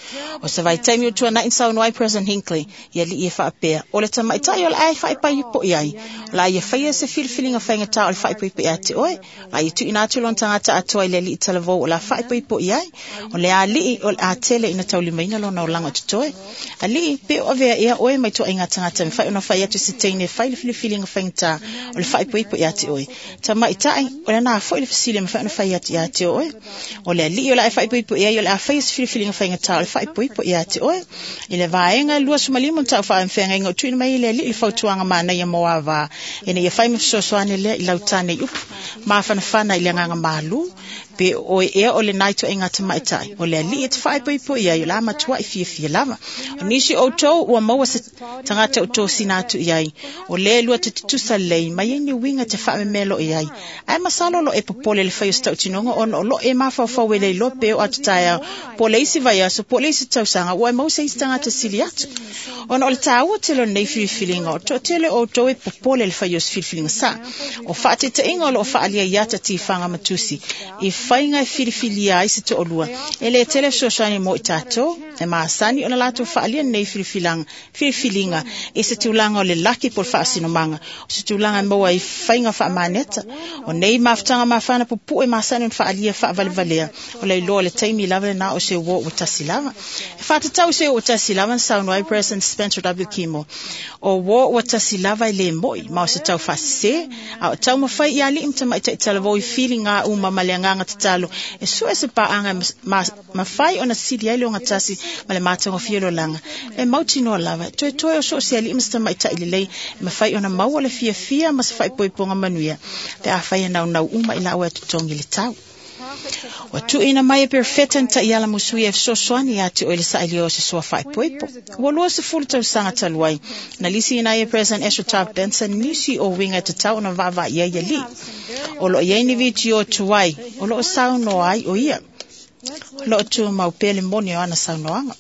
O se vaitaimi ua tuanai na saunoa ai President Hinckley i alii e faapea, o le tamaitai o le a e faaipoipo i ai, o le a ia faia se filifiliga faigata o le faaipoipo ia te oe, o le a ia tuuina atu lona tagata atoa i le alii talavou o le a faaipoipo i ai, o le alii o le a tele ina taulimaina lona olaga o totoe. Alii, pe o avea ea oe mai toaiga tagata e mafai ona fai atu se teine e fai le filifiliga faigata o le faaipoipo ia te oe. Tamaitai, o le na foi le fesili e mafai ona fai atu ia te oe. O le alii o le a e faaipoipo i ai, o le a faia se filifiliga faigata o le faaipoipo ia te oe. I le vaega e luasefulumalima na tau faafeagaiga o tuuina mai i le alii le fautuaga manaia mo avā, ina ia fai ma fesoasoani lea i lau tane i upu mafanafana i le agaga malū, pe oe ea o lenā ituaiga tamaitai, o le alii e te faaipoipo i ai, o le a matuai fiafia lava. O nisi o outou ua maua se tagata o tosina atu i ai, o lea lua te tutusa lelei, ma iai ni uiga te faamemelo i ai. Ae masalo o lo e popole le fai o se tautinoga ona o lo e mafaufau e le iloa pe o atu taeao, po o le isi vaiaso, po o le isi tausaga, ua e maua se isi tagata sili atu. Ona o le tāua tele o lenei filifiliga, o toatele o outou e popole le fai o se filifiliga sa. O faataitaiga o lo o faaalia i ata tifaga ma tusi, i faiga e filifilia ai se toalua, e le tele fesoasoani mo i tatou, e masani ona latou faaalia lenei filifiliga, filifiliga i se tulaga o le laki po o le faasinomaga, o se tulaga e maua ai faiga faamaneta. O nei mafutaga mafana pupue masani ona faaalia faavalevalea, o le iloa o le taimi lava lena o se uo ua tasi lava. E faatatau se ua tasi lava na saunoa ai President Spencer W. Kimball. O uo ua tasi lava e le moi, ma o se tau faasese, a o taumafai i alii ma tamaitai talavou i filiga uma ma le agaga tatalo, e sue se paaga mafai ona sili ai le ogatasi ma le matagofie o le olaga. E mautinoa lava, toetoe o so o se alii ma se tamaitai lelei, e mafai ona maua le fiafia ma se faaipoipoga manuia, pe afai e naunau uma i laua e totogi le tau. Ua tuuina mai e perofeta na taiala musuia e fesoasoani ia te oe le sailio o se soa faaipoipo. Ua luasefulu tausaga talu ai, na lisiina ai e President Ezra Taft Benson nisi o uiga e tatau ona vaavaai ai alii. O lo o i ai ni vitio tuai, o lo o saunoa ai o ia. O lo o tumau pea le moni o ana saunoaga.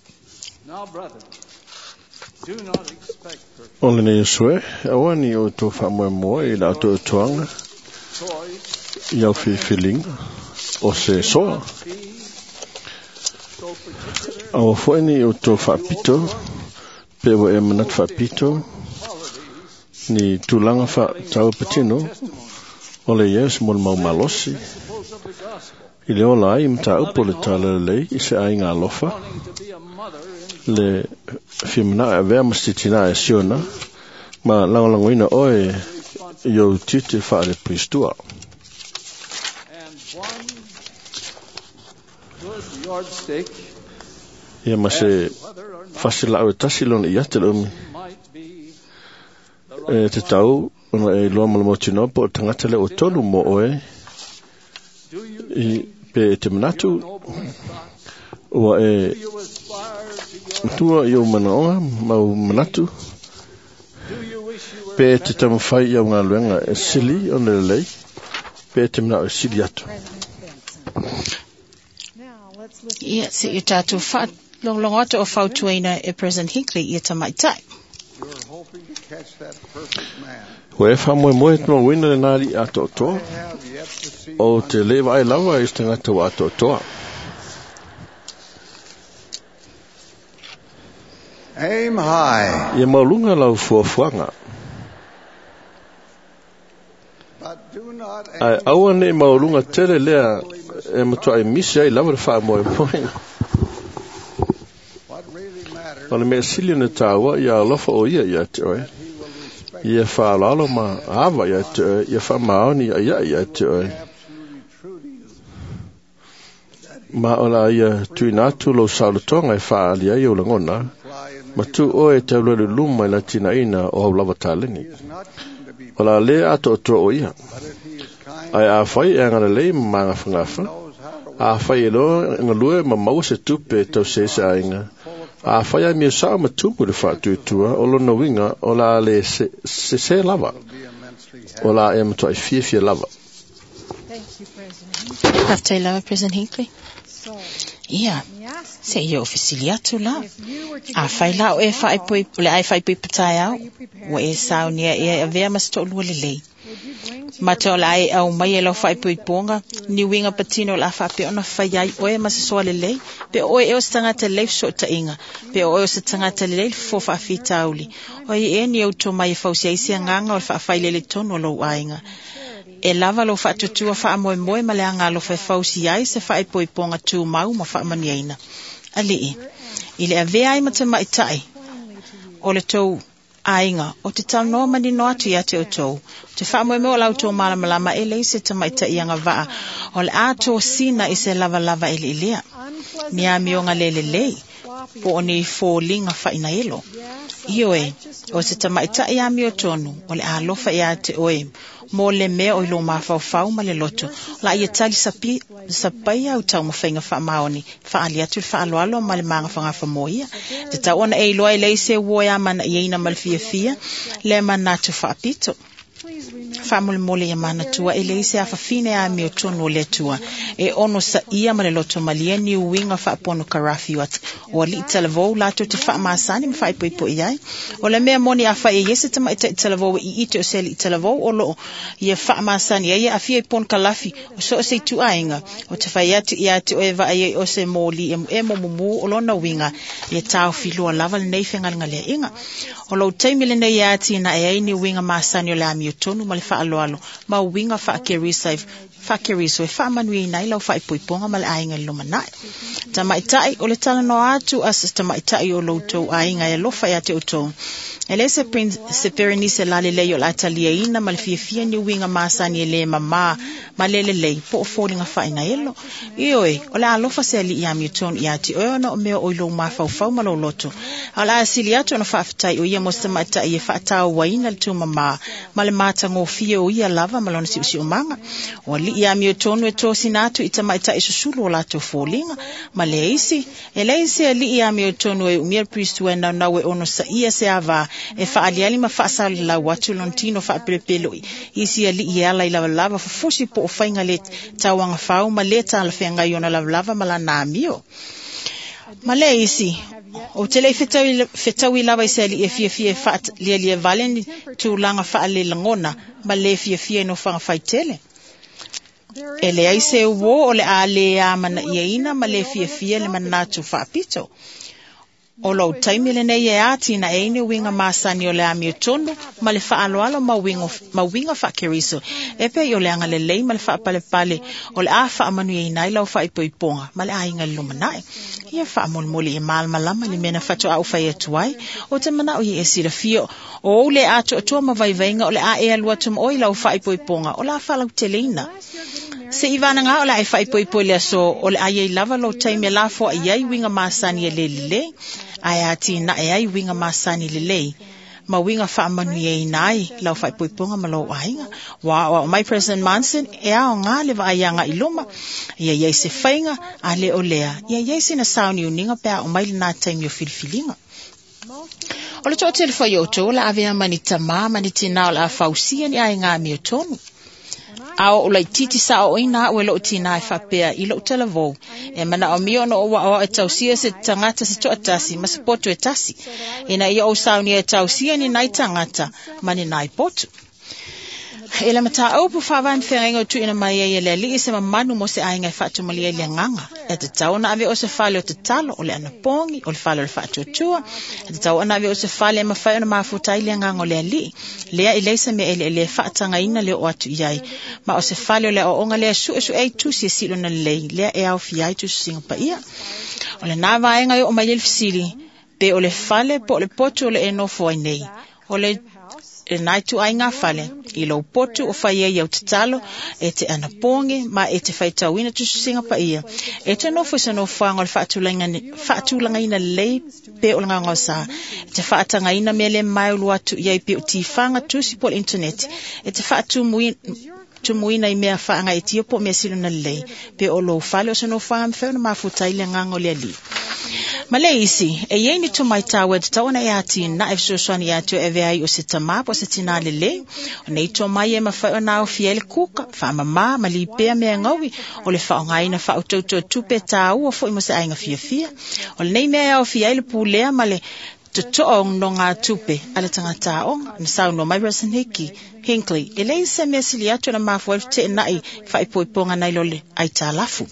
O lenei aso e, aua ni outou faamoemoe i la outou atoaga i au filifiliga o se soa. Aua foi ni outou faapito, pe ua e manatu faapito, ni tulaga faatau patino, o le ia o se molimau malosi, i le ola ai mataupu o le tala lelei i se aiga alofa, le fia manao e avea ma se titina e Siona, ma lagolagoina oe i ou tiute faale-Pristua. Ia ma se fasilau e tasi lona i ate le umi, e te tau ona e iloa ma le mautinoa po o le tagata lea ua tolu mo oe, i pe e te manatu ua e matua i ou manaoga ma ou manatu, pe e te taumafai i au galuega e sili ona lelei, pe e te manao e sili atu. Ia, se i o tatou faalogologo atu o fautuaina e President Hinckley ia tamaitai. Ua e faamoemoe e te mauina lenā alii atoatoa, o te le vaai lava i se tagata ua atoatoa. Aim high. Ia maualuga lau fuafuaga. Ae aua nei maualuga tele lea e matuai misi ai lava le faamoemoe. O le mea sili ona tāua ia alofa o ia ia te oe, ia faaaloalo ma ava ia te oe, ia faamaoni ia ia ia te oe. Ma o la ia tuuina atu lou saolotoga e faaali ai ou lagona, ma tu oe e tauluelu luma i le atinaeina o au lava taleni. O la le atoatoa o ia. Ae afai e agalelei ma magafagafa, afai e loa galue ma maua se tupe e tausi ai se aiga, afai a mia sao ma tumu le faatuatua, o lona uiga o la le sese lava, o la e matuai fiafia lava. Faafetai lava President Hinckley. Ia, Se ia o fesili atu la. A whai la o e whaipui, o le ai whaipui patai au, ua e saunia ea e avea ma se to'olua lelei. Ma te o le ai au mai e lau faaipoipoga ni uiga patino o le a faapea ona fai ai oe ma se soa lelei, pe o oe ea o se tagata lelei fesootaiga, pe o oe o se tagata lelei le fofo faafitauli. O ai ea ni ou tomai e fausia ai se agaga o le faafailele tonu o lou aiga. E lava lou faatuatua faamoemoe ma le agalofa e fausia ai se faaipoipoga tumau ma faamanuiaina. Alii, i le avea ai ma tamaitai o le tou aiga, o te talanoa manino atu ia te outou. O te faamoemoe o la outou malamalama e leai se tamaitai agavaa o le a tosina i se lavalava eleelea, ni amioga le lelei, po o ni foliga fainaelo. Ioe, o se tamaitai amiotonu, o le alofa ia te oe, mo le mea o i lō mafaufau ma le loto. O la ia tali sapi, sapaia au taumafaiga faamaoni, faali atu le faaaloalo ma le magafagafa mo ia. Te tau ona e iloa e leai se uo e amanaiaina ma le fiafia, le manatu faapito. Faamolemole ia manatua e leai se afafine amiotonu o le Atua e ono saia ma le loto malie ni uiga faaponokarafi o alii talavou latou te faamasani ma faaipoipo'i ai. O le mea moni afai e i ai se tamaita'i talavou e iite o se alii talavou o loo ia faamasani ai e aafia i ponokalafi o so o se ituaiga, o te fai atu ia te oe vaai ai o se moli emuemu mumū o lona uiga ia taofiloa lava lenei fegalegaleaʻiga. O lou taimi lenei e atinae ai ni uiga masani o le amiotonu ma le faaaloalo ma uiga faakerisa faakeriso e faamanuiaina ai lau faaipoipoga ma le aiga i le lumanai. Tamaitai o le talanoa atu a se tamaitai o loutou aiga e alofa ia te outou. E leai se se perenise lalelei o le a taliaina ma le fiafia ni uiga masani e lē mamā ma le lelei po o foliga faainaelo. Ioe, o le alofa se alii amiotonu ia te oe ona o mea o i lou mafaufau ma lou loto. A o le a sili atu ona faafetai o ia mo se tamaitai e faatauaina le tumamā ma le matagofie o ia lava ma lona siusiumaga. O alii amiotonu e tosina atu i tamaitai susulu o latou foliga ma le isi. E leai se alii amiotonu e umia le Kristu e naunau e ono saia se avā e faaliali ma faasalalau atu lona tino faapelepeloi isi alii e ala i lavalava fufusi po o faiga le tauagafau ma le talafeagai ona lavalava ma lana amio. Ma le isi, o te le i fetaui, fetaui lava i se alii e fiafia e faalialia vale ni tulaga faalelagona ma le fiafia i nofoaga faitele. E leai se uō o le a lē amanaiaina ma le fiafia le manatu faapito. O lou taimi lenei e atinae ai ni uiga masani o le amiotonu ma le faaaloalo ma uiga, ma uiga faakeriso. E pei o le agalelei ma le faapalepale o le a faamanuiaina ai lau faaipoipoga ma le aiga i le lumanai. Ia faamolemole ia malamalama le mea na faatoa ou fai atu ai. O te manao ia e silafia o ou le atoatoa ma vaivaiga o le a e alu atu ma oe i lau faaipoipoga o le a faalauteleina. Se i vanaga o le a e faaipoipo i le aso o le a iai lava lou taimi e lafoai ai uiga masani e le lelei, ae atinae ai uiga masani lelei ma uiga faamanuiaina ai lau faaipoipoga ma lou aiga. Ua aoao mai President Monson e aoga le vaai agai i luma, ia iai se faiga a le o lea, ia iai sina sauniuniga pe a oo mai lenā taimi o filifiliga. O le toatele foi o outou o le a avea ma ni tamā ma ni tinā o le a fausia ni aiga amiotonu. A o laititi saoʻoina a'u e lo'u tinā e faapea i lo'u talavou, e manaomia ona ou aʻoaʻo e tausia se tagata se toatasi ma se poto e tasi, ina ia ou saunia e tausia ni nai tagata ma ni nai potu. E le mataupu faavae ma feagaiga o tuuina mai ai e le alii se mamanu mo se aiga e faatumalia i le agaga. E tatau ona ave o se fale o tatalo, o le anapogi, o le fale o le faatuatua. E tatau ona ave o se fale e mafai ona mafuta ai le agaga o le alii. Lea e leai se mea eleele e faatagaina le oo atu i ai. Ma o se fale o le aoaoga lea e suesue ai tusi e silona lelei, lea e aofia ai tusisiga paia. O lenā vaega e oo mai ai le fesili, pe o le fale po o le potu o le e nofo ai nei. O le lenā ituaiga fale, i lou potu o fai ai au tatalo, e te anapogi ma e te faitauina tusisiga paia. E te nofo i se nofoaga o le faatulagaina lelei pe o le gaogaosa. E te faatagaina mea le maeulu atu i ai pe o tifaga tusi po o le internet. E te faatumuina tumuina i mea faagaetia po o mea silona lelei, pe o lou fale o se nofoaga mafai ona mafuta ai le agaga o le alii. Ma le isi, e iai ni tomai tāua e tatau ona e atinae fesoasoani ia te oe e avea ai o se tamā po o se tinā lelei. O nei tomai e mafai ona aofia ai le kuka, faamamā ma lipea mea e gaui, o le faaaogaina faautauta o tupe tāua foi mo se aiga fiafia. O lenei mea e aofia ai le pulea ma le totoa o nonogatupe a le tagata aoga. Na saunoa mai President Hickey, Hinckley, e leai se mea sili atu ona mafua ai le feteenai i faaipoipoga nai lo le aitalafu.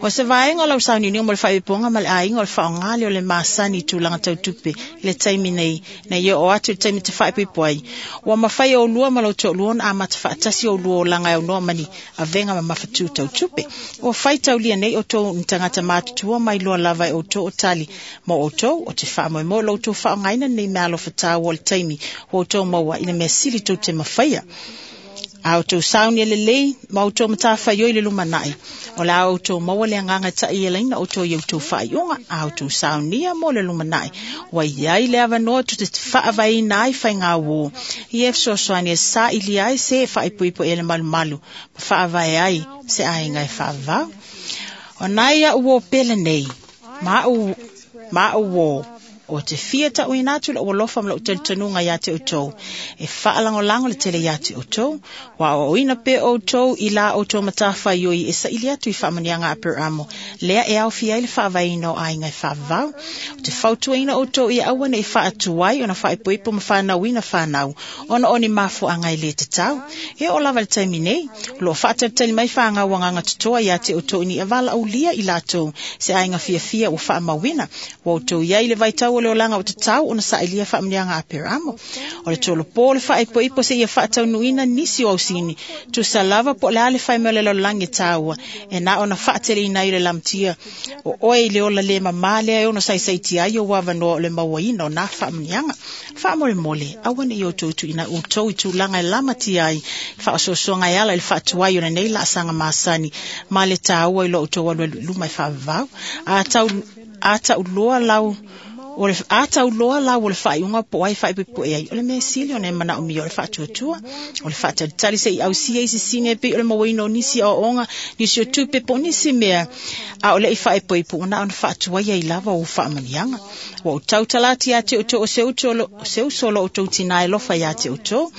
O se vaega o lau sauniuniga mo le faaipoipoga ma le aiga o le faaaoga lea o le masani i tulaga tau tupe i le taimi nei, nei oo atu i le taimi te faaipoipo ai. Ua mafai e oulua ma lou toalua ona amata faatasi oulua olaga e aunoa ma ni avega mamafatu tau tupe. Ua faitaulia nei outou ni tagata matutua mai loa lava e outou o tali mo outou, o te faamoemoe o lo outou faaaogaina lenei meaalofa taua o le taimi ua outou maua i le mea sili tou te mafaia. A outou sauni e lelei ma outou matafaioi i le lumanai, o le a outou maua le agaga e ta'ialaina outou i outou faaiuga. A outou saunia mo le lumanai, ua i ai le avanoa tou te faavaeina ai faigauō ia e fesoasoani e sa'ilia ai se e faaipoipo i ai le malumalu ma faavae ai se aiga e faavavau. O nai a'u uō pele nei ma a'u ma a'u uō, o te fia ta'uina atu lo'u alofa ma lo'u talitonuga iā te outou, e faalagolago le tele iā te outou, ua aoaoina pea outou i la outou matafaioi e saili atu i faamanuiaga a Aperamo, lea e aofia ai le faavaeina o aiga e faavavau. O te fautuaina outou ia aua ne'i faatuai ona faaipoipo ma fanauina fanau, ona o ni mafuaaga e lē tatau. E oo lava i le taimi nei, o loo faatalitali mai fagau agaga totoa iā te outou ina ia valaaulia i latou se aiga fiafia ua faamauina. Ua outou i ai i le vaitau o le olaga ua tatau ona sa'ilia faamanuiaga a Aperamo. O le tolopo o le faaipoipo seia faataunuuina nisi o ausini, tusa lava po o le a le faimea o le lalolagi e tāua, e na ona faateleina ai o le lamatia o oe i le ola lē mamā lea e ono saisaitia ai ou avanoa o le mauaina o nā faamanuiaga. Faamolemole, aua ne'i outou tuuina outou i tulaga e lamatia ai faaosoosoga e ala i le faatuai o lenei laasaga masani ma le tāua i lo outou alualu i luma e faavavau. A tau a tauloa lau o le a tauloa lau o le faaiuga po o ai faaipoipo e ai, o le mea sili ona e manaomia o le faatuatua, o le faatalitali se'i ausia isi sini e pei o le mauaina o nisi aoaoga, nisi o tupe po o nisi mea a o le'i faaipoipo, ua na ona faatuai ai lava ou faamanuiaga. Ua ou tautala atu iā te outou o se uso se uso o lo outou tinā e alofa iā te outou.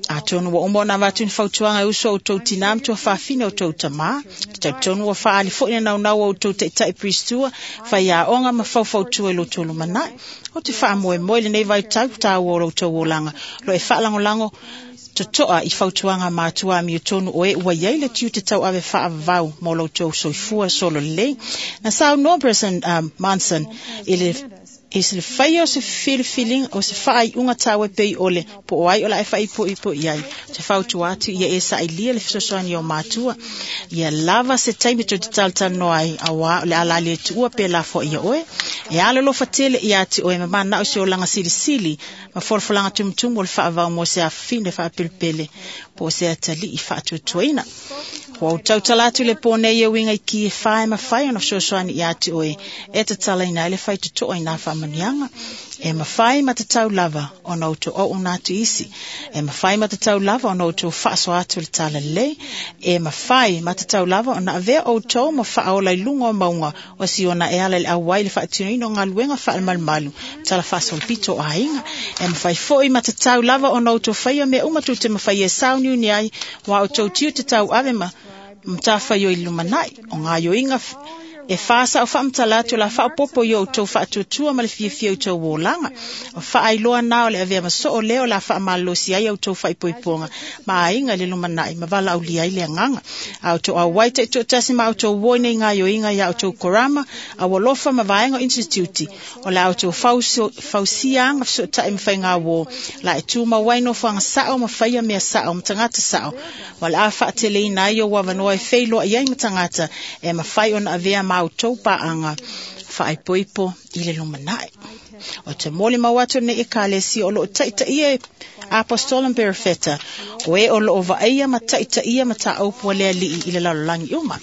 Atonu ua uma ona avatu ni fautuaga e uso o outou tinā ma tuafafine o outou tamā. Te talitonu ua faaali foi le naunau o outou taita'i pristua, faiaoga ma faufautua i lo outou lumanai. O te faamoemoe i lenei vaitau tāua o lo outou olaga, lo e faalagolago totoa i fautuaga matua amiotonu o e ua i ai le tiute tauave faavavau mo lo outou soifua solo lelei. Na saunoa President um, Monson i le i se faia o se filifiliga o se faaiuga taua e pei o le po o ai o le a e faaipoipo i ai. Te fautua atu ia e sailia le fesoasoani o matua. Ia lava se taimi tou te talatalanoa ai, auā o le a la le tuua pe lafoa ia oe. E alolofa tele ia te oe ma manao se olaga silisili ma folafolaga tumutumu o le faavau mo se afafine faapelepele po o se atalii faatuatuaina. Ua ou tautala atu i le pō nei e uiga i ki e whā e mafai ona fesoasoani ia te oe e tatalaina ai le faitotoa i nā faamanuiaga. E mafai ma tatau lava ona outou auauna atu i isi. E mafai ma tatau lava ona outou faasoa atu i le talalelei. E mafai ma tatau lava ona avea outou ma faaola i luga o mauga o Siona e ala i le auai i le faatinoina o galuega faalemalumalu tala faasolopito o aiga. E mafai foi ma tatau lava ona outou faia mea uma tou te mafaia e sauniuni ai, ua outou tiute tauave ma matafaioi i le lumanai. O gaoioiga e whā sa'o faamatala atu o le a faaopoopo i o outou faatuatua ma le fiafia i outou olaga. O faailoa na o le avea ma soo lea o le a faamalolosi ai a outou faaipoipoga ma aiga i le lumanai ma valaaulia ai le agaga. A outou auai taitoatasi ma outou uō i nei gaoioiga iā outou korama, aualofa ma vaega o inistitiuti, o le a outou fausia aga fesootai ma faigauō la e tumau ai nofoaga sa'o ma faia mea sa'o ma tagata sa'o, ma o le a faateleina ai ou avanoa e feiloai ai ma tagata e mafai ona avea ma outou paaga faaipoipo i le lumanai. O te molimau atu lenei ekalesia o loo taitaia e Apostola ma Perofeta, o e o loo vaaia ma taitaia mataupu a le Alii i le lalolagi uma.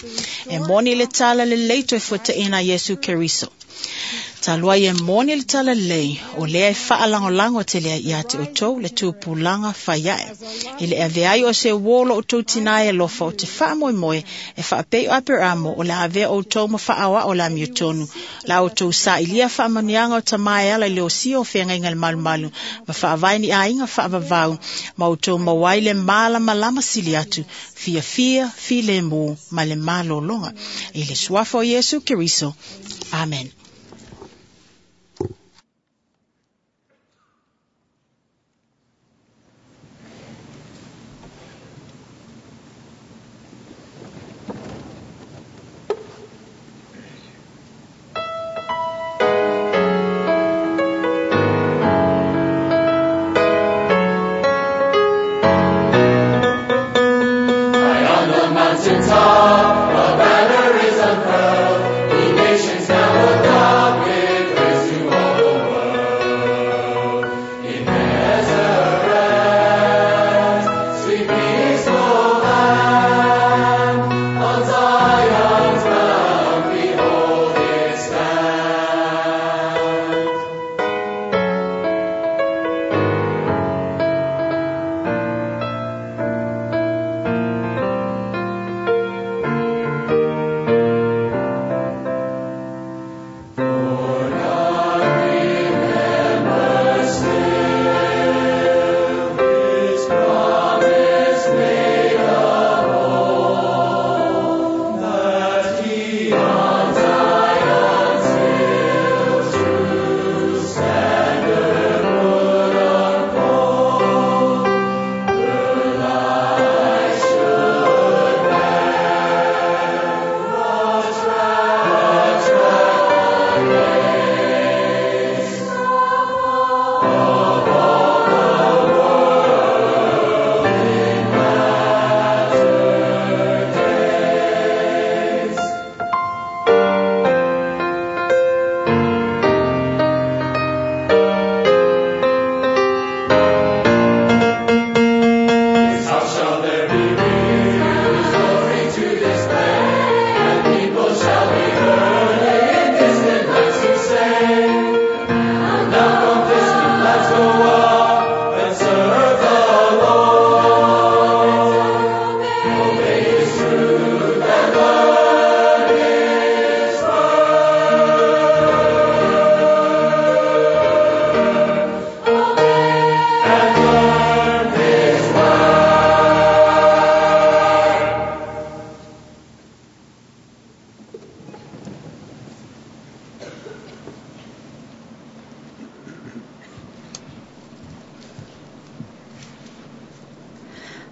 E moni le tala lelei toe fuataiina a Iesu Keriso. Talua e moni le tala lelei, o lea e faalagolago tele ai ia te outou le tupulaga faiae. I le avea ai o se uō lo outou tinā e alofa o te faamoemoe e faapei o Aperamo o le a avea outou ma faaoao le amiotonu. La outou sailia faamanuiaga o tamā e ala i le osia o feagaiga le malumalu ma faavae ni aiga faavavau ma outou maua ai le malamalama sili atu, fiafia, filemu ma le malologa. I le suafa o Iesu Keriso. Amen. Mountain top, a banner is unfurled, ye nations now look up.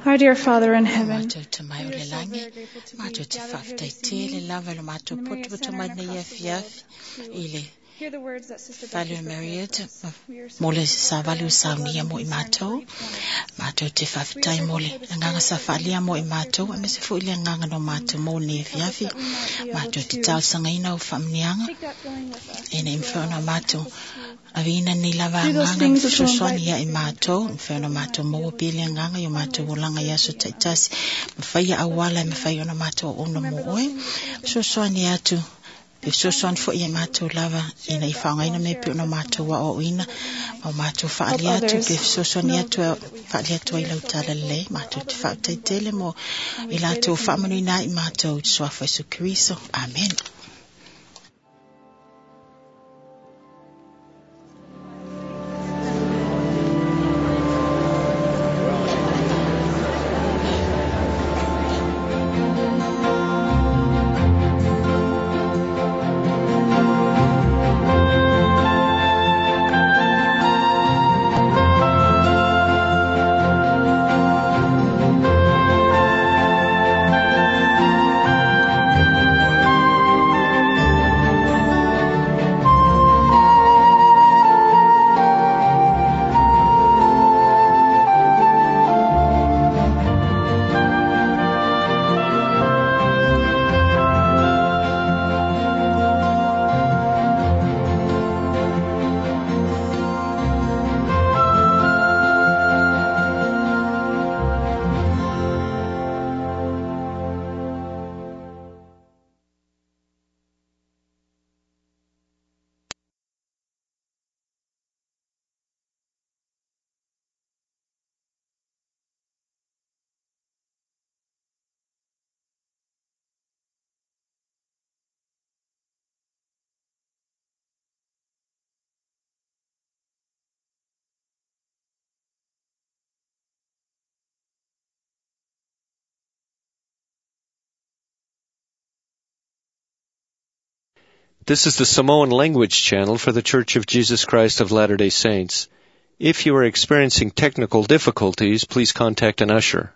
Our dear Father in heaven, Matou te mai o le langi, matou te faafetai tele lava i le matou potopoto mai nei afiafi i le hear the words that Sister fale Becky o prepared Marietta for us. We are so mo le savali o saunia mo i matou. Matou te faafetai mo le agaga sa faalia mo i matou, aemaise foi le agaga no matou mo nei afiafi. Matou te talosagaina o faamanuiaga take that feeling with us. ina ia mafai ona matou aveina nei lava Do those agaga things which will fesoasoani invite ia i matou, mafai ona matou maua pea le agaga i o matou olaga i aso taitasi, mafai ia auala e mafai ona matou auauna mo oe. Fesoasoani atu, pe fesoasoani foi ia matou lava ina i faaaogaina mea pe ona matou aoaoina, ma o matou faalia atu, pe fesoasoani atu e faalia atu ai lau tala lelei. Matou te faafetai tele mo i latou faamanuina ai i matou i le suafa o Iesu Keriso. Amen. Thank This is the Samoan language channel for the Church of Jesus Christ of Latter-day Saints. If you are experiencing technical difficulties, please contact an usher.